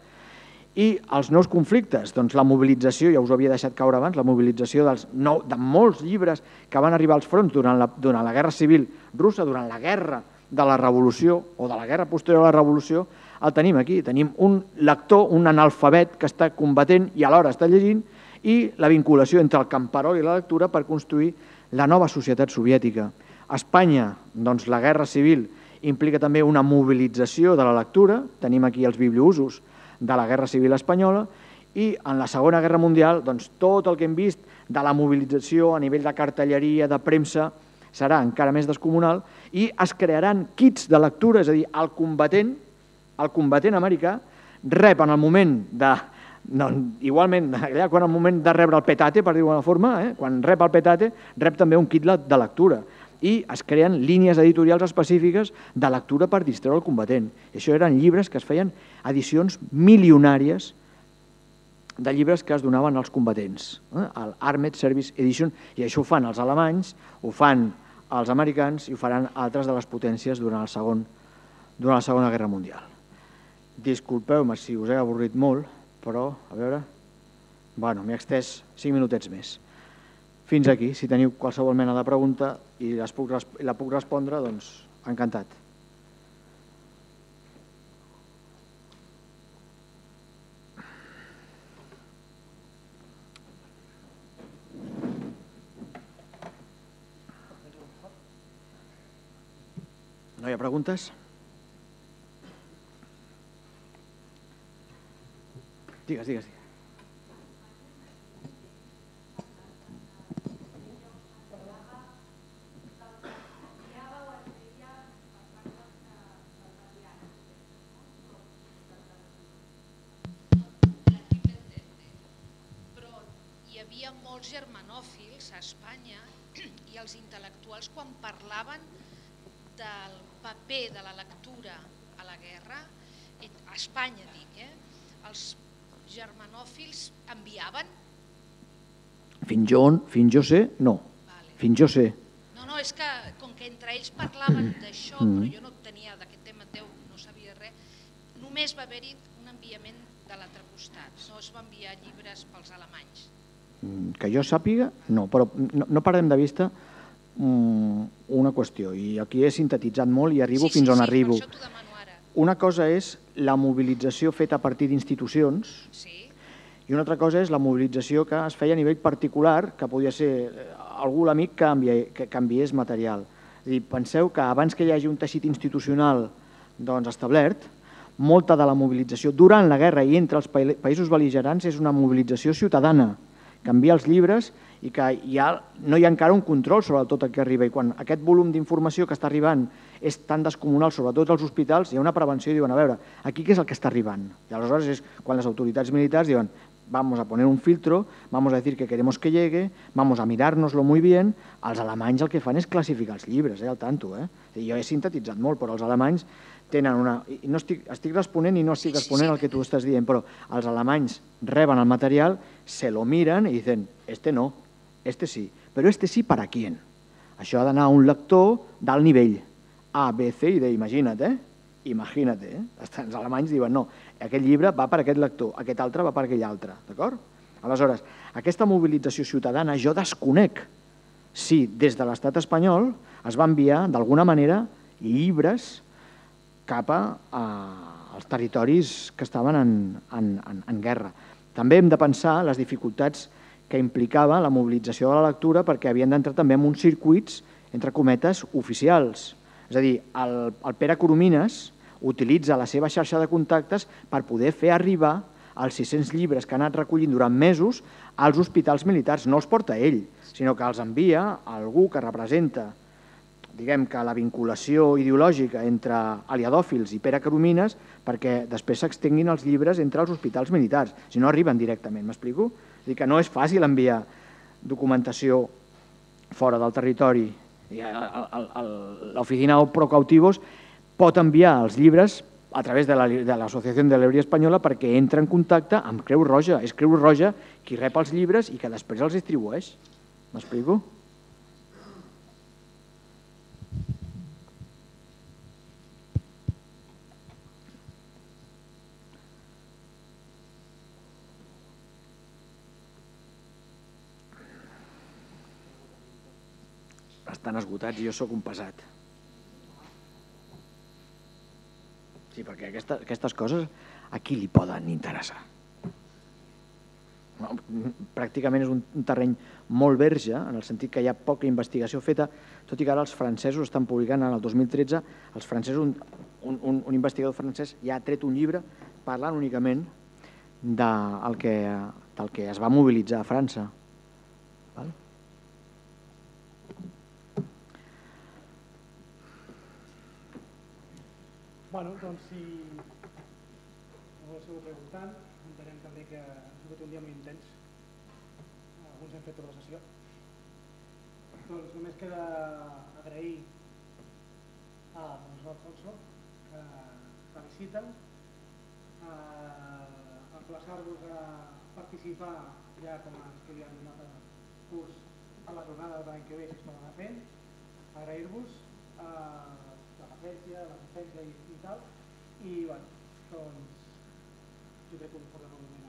I els nous conflictes, doncs la mobilització, ja us ho havia deixat caure abans, la mobilització dels nou, de molts llibres que van arribar als fronts durant la, durant la Guerra Civil russa, durant la Guerra de la Revolució o de la Guerra posterior a la Revolució, el tenim aquí. Tenim un lector, un analfabet que està combatent i alhora està llegint, i la vinculació entre el camperol i la lectura per construir la nova societat soviètica. A Espanya, doncs, la Guerra Civil implica també una mobilització de la lectura, tenim aquí els bibliousos de la Guerra Civil espanyola, i en la Segona Guerra Mundial, doncs, tot el que hem vist de la mobilització a nivell de cartelleria, de premsa, serà encara més descomunal, i es crearan kits de lectura, és a dir, el combatent, el combatent americà rep en el moment de No, igualment, allà, quan al moment de rebre el petate, per dir-ho d'alguna forma, eh, quan rep el petate, rep també un kit de lectura. i es creen línies editorials específiques de lectura per distreure el combatent. I això eren llibres que es feien edicions milionàries de llibres que es donaven als combatents, el Armed Service Edition, i això ho fan els alemanys, ho fan els americans i ho faran altres de les potències durant, el segon, durant la Segona Guerra Mundial. Disculpeu-me si us he avorrit molt, però, a veure... Bueno, m'he extès cinc minutets més. Fins aquí, si teniu qualsevol mena de pregunta i la puc respondre, doncs encantat. No hi ha preguntes? Digues, digues, digues. Molts germanòfils a Espanya i els intel·lectuals, quan parlaven del paper de la lectura a la guerra, a Espanya dic, eh? Els germanòfils enviaven? Fins jo, fins jo sé, no. Vale. Fins jo sé. No, no, és que com que entre ells parlaven d'això, mm. però jo no tenia d'aquest tema teu, no sabia res, només va haver-hi un enviament de l'altre costat, no es va enviar llibres pels alemanys. Que jo sàpiga, no, però no, no perdem de vista um, una qüestió, i aquí he sintetitzat molt i arribo sí, fins sí, on sí, arribo. Per això t'ho demano ara. Una cosa és la mobilització feta a partir d'institucions sí. i una altra cosa és la mobilització que es feia a nivell particular, que podia ser algú l'amic que, envia, que canviés material. És a dir, penseu que abans que hi hagi un teixit institucional doncs, establert, molta de la mobilització durant la guerra i entre els països bel·ligerants és una mobilització ciutadana, que envia els llibres i que hi ha, no hi ha encara un control sobre tot el que arriba. I quan aquest volum d'informació que està arribant és tan descomunal, sobretot als hospitals, hi ha una prevenció i diuen, a veure, aquí què és el que està arribant? I aleshores és quan les autoritats militars diuen, vamos a poner un filtro, vamos a decir que queremos que llegue, vamos a mirárnoslo muy bien. Els alemanys el que fan és classificar els llibres, eh, al tanto. Eh? Jo he sintetitzat molt, però els alemanys tenen una... I no estic, estic responent i no estic responent al que tu estàs dient, però els alemanys reben el material, se lo miren i dicen, este no, este sí, però este sí para quién? Això ha d'anar a un lector d'alt nivell, A, B, C i D, imagina't, eh? Imagina't, eh? Els alemanys diuen, no, aquest llibre va per aquest lector, aquest altre va per aquell altre, d'acord? Aleshores, aquesta mobilització ciutadana jo desconec si des de l'estat espanyol es va enviar d'alguna manera llibres cap als territoris que estaven en, en, en, en guerra. També hem de pensar les dificultats que implicava la mobilització de la lectura perquè havien d'entrar també en uns circuits, entre cometes, oficials. És a dir, el, el Pere Coromines utilitza la seva xarxa de contactes per poder fer arribar els sis-cents llibres que ha anat recollint durant mesos als hospitals militars. No els porta ell, sinó que els envia a algú que representa diguem que la vinculació ideològica entre aliadòfils i Pere Coromines perquè després s'extenguin els llibres entre els hospitals militars, si no arriben directament, m'explico? És a dir, que no és fàcil enviar documentació fora del territori. L'oficina Procautivos pot enviar els llibres a través de l'Associació de l'Hebrea Espanyola perquè entra en contacte amb Creu Roja. És Creu Roja qui rep els llibres i que després els distribueix. M'explico? Estan esgotats i jo sóc un pesat. Sí, perquè aquesta, aquestes coses a qui li poden interessar? No, pràcticament és un, un terreny molt verge, en el sentit que hi ha poca investigació feta, tot i que ara els francesos estan publicant en el dos mil tretze, els francesos, un, un, un investigador francès ja ha tret un llibre parlant únicament del que, del que es va mobilitzar a França. Val? Bueno, doncs si no ho esteu preguntant, entenem també que ha sigut un dia molt intens. Alguns hem fet tota la sessió. Doncs només queda agrair a Alfonso que la visita, emplaçar-vos a participar ja com a que li han donat el curs a la jornada de l'any que ve si es poden anar fent, agrair-vos la paciència, l'assistència i tal, i bueno, doncs jo crec que us portarà un moment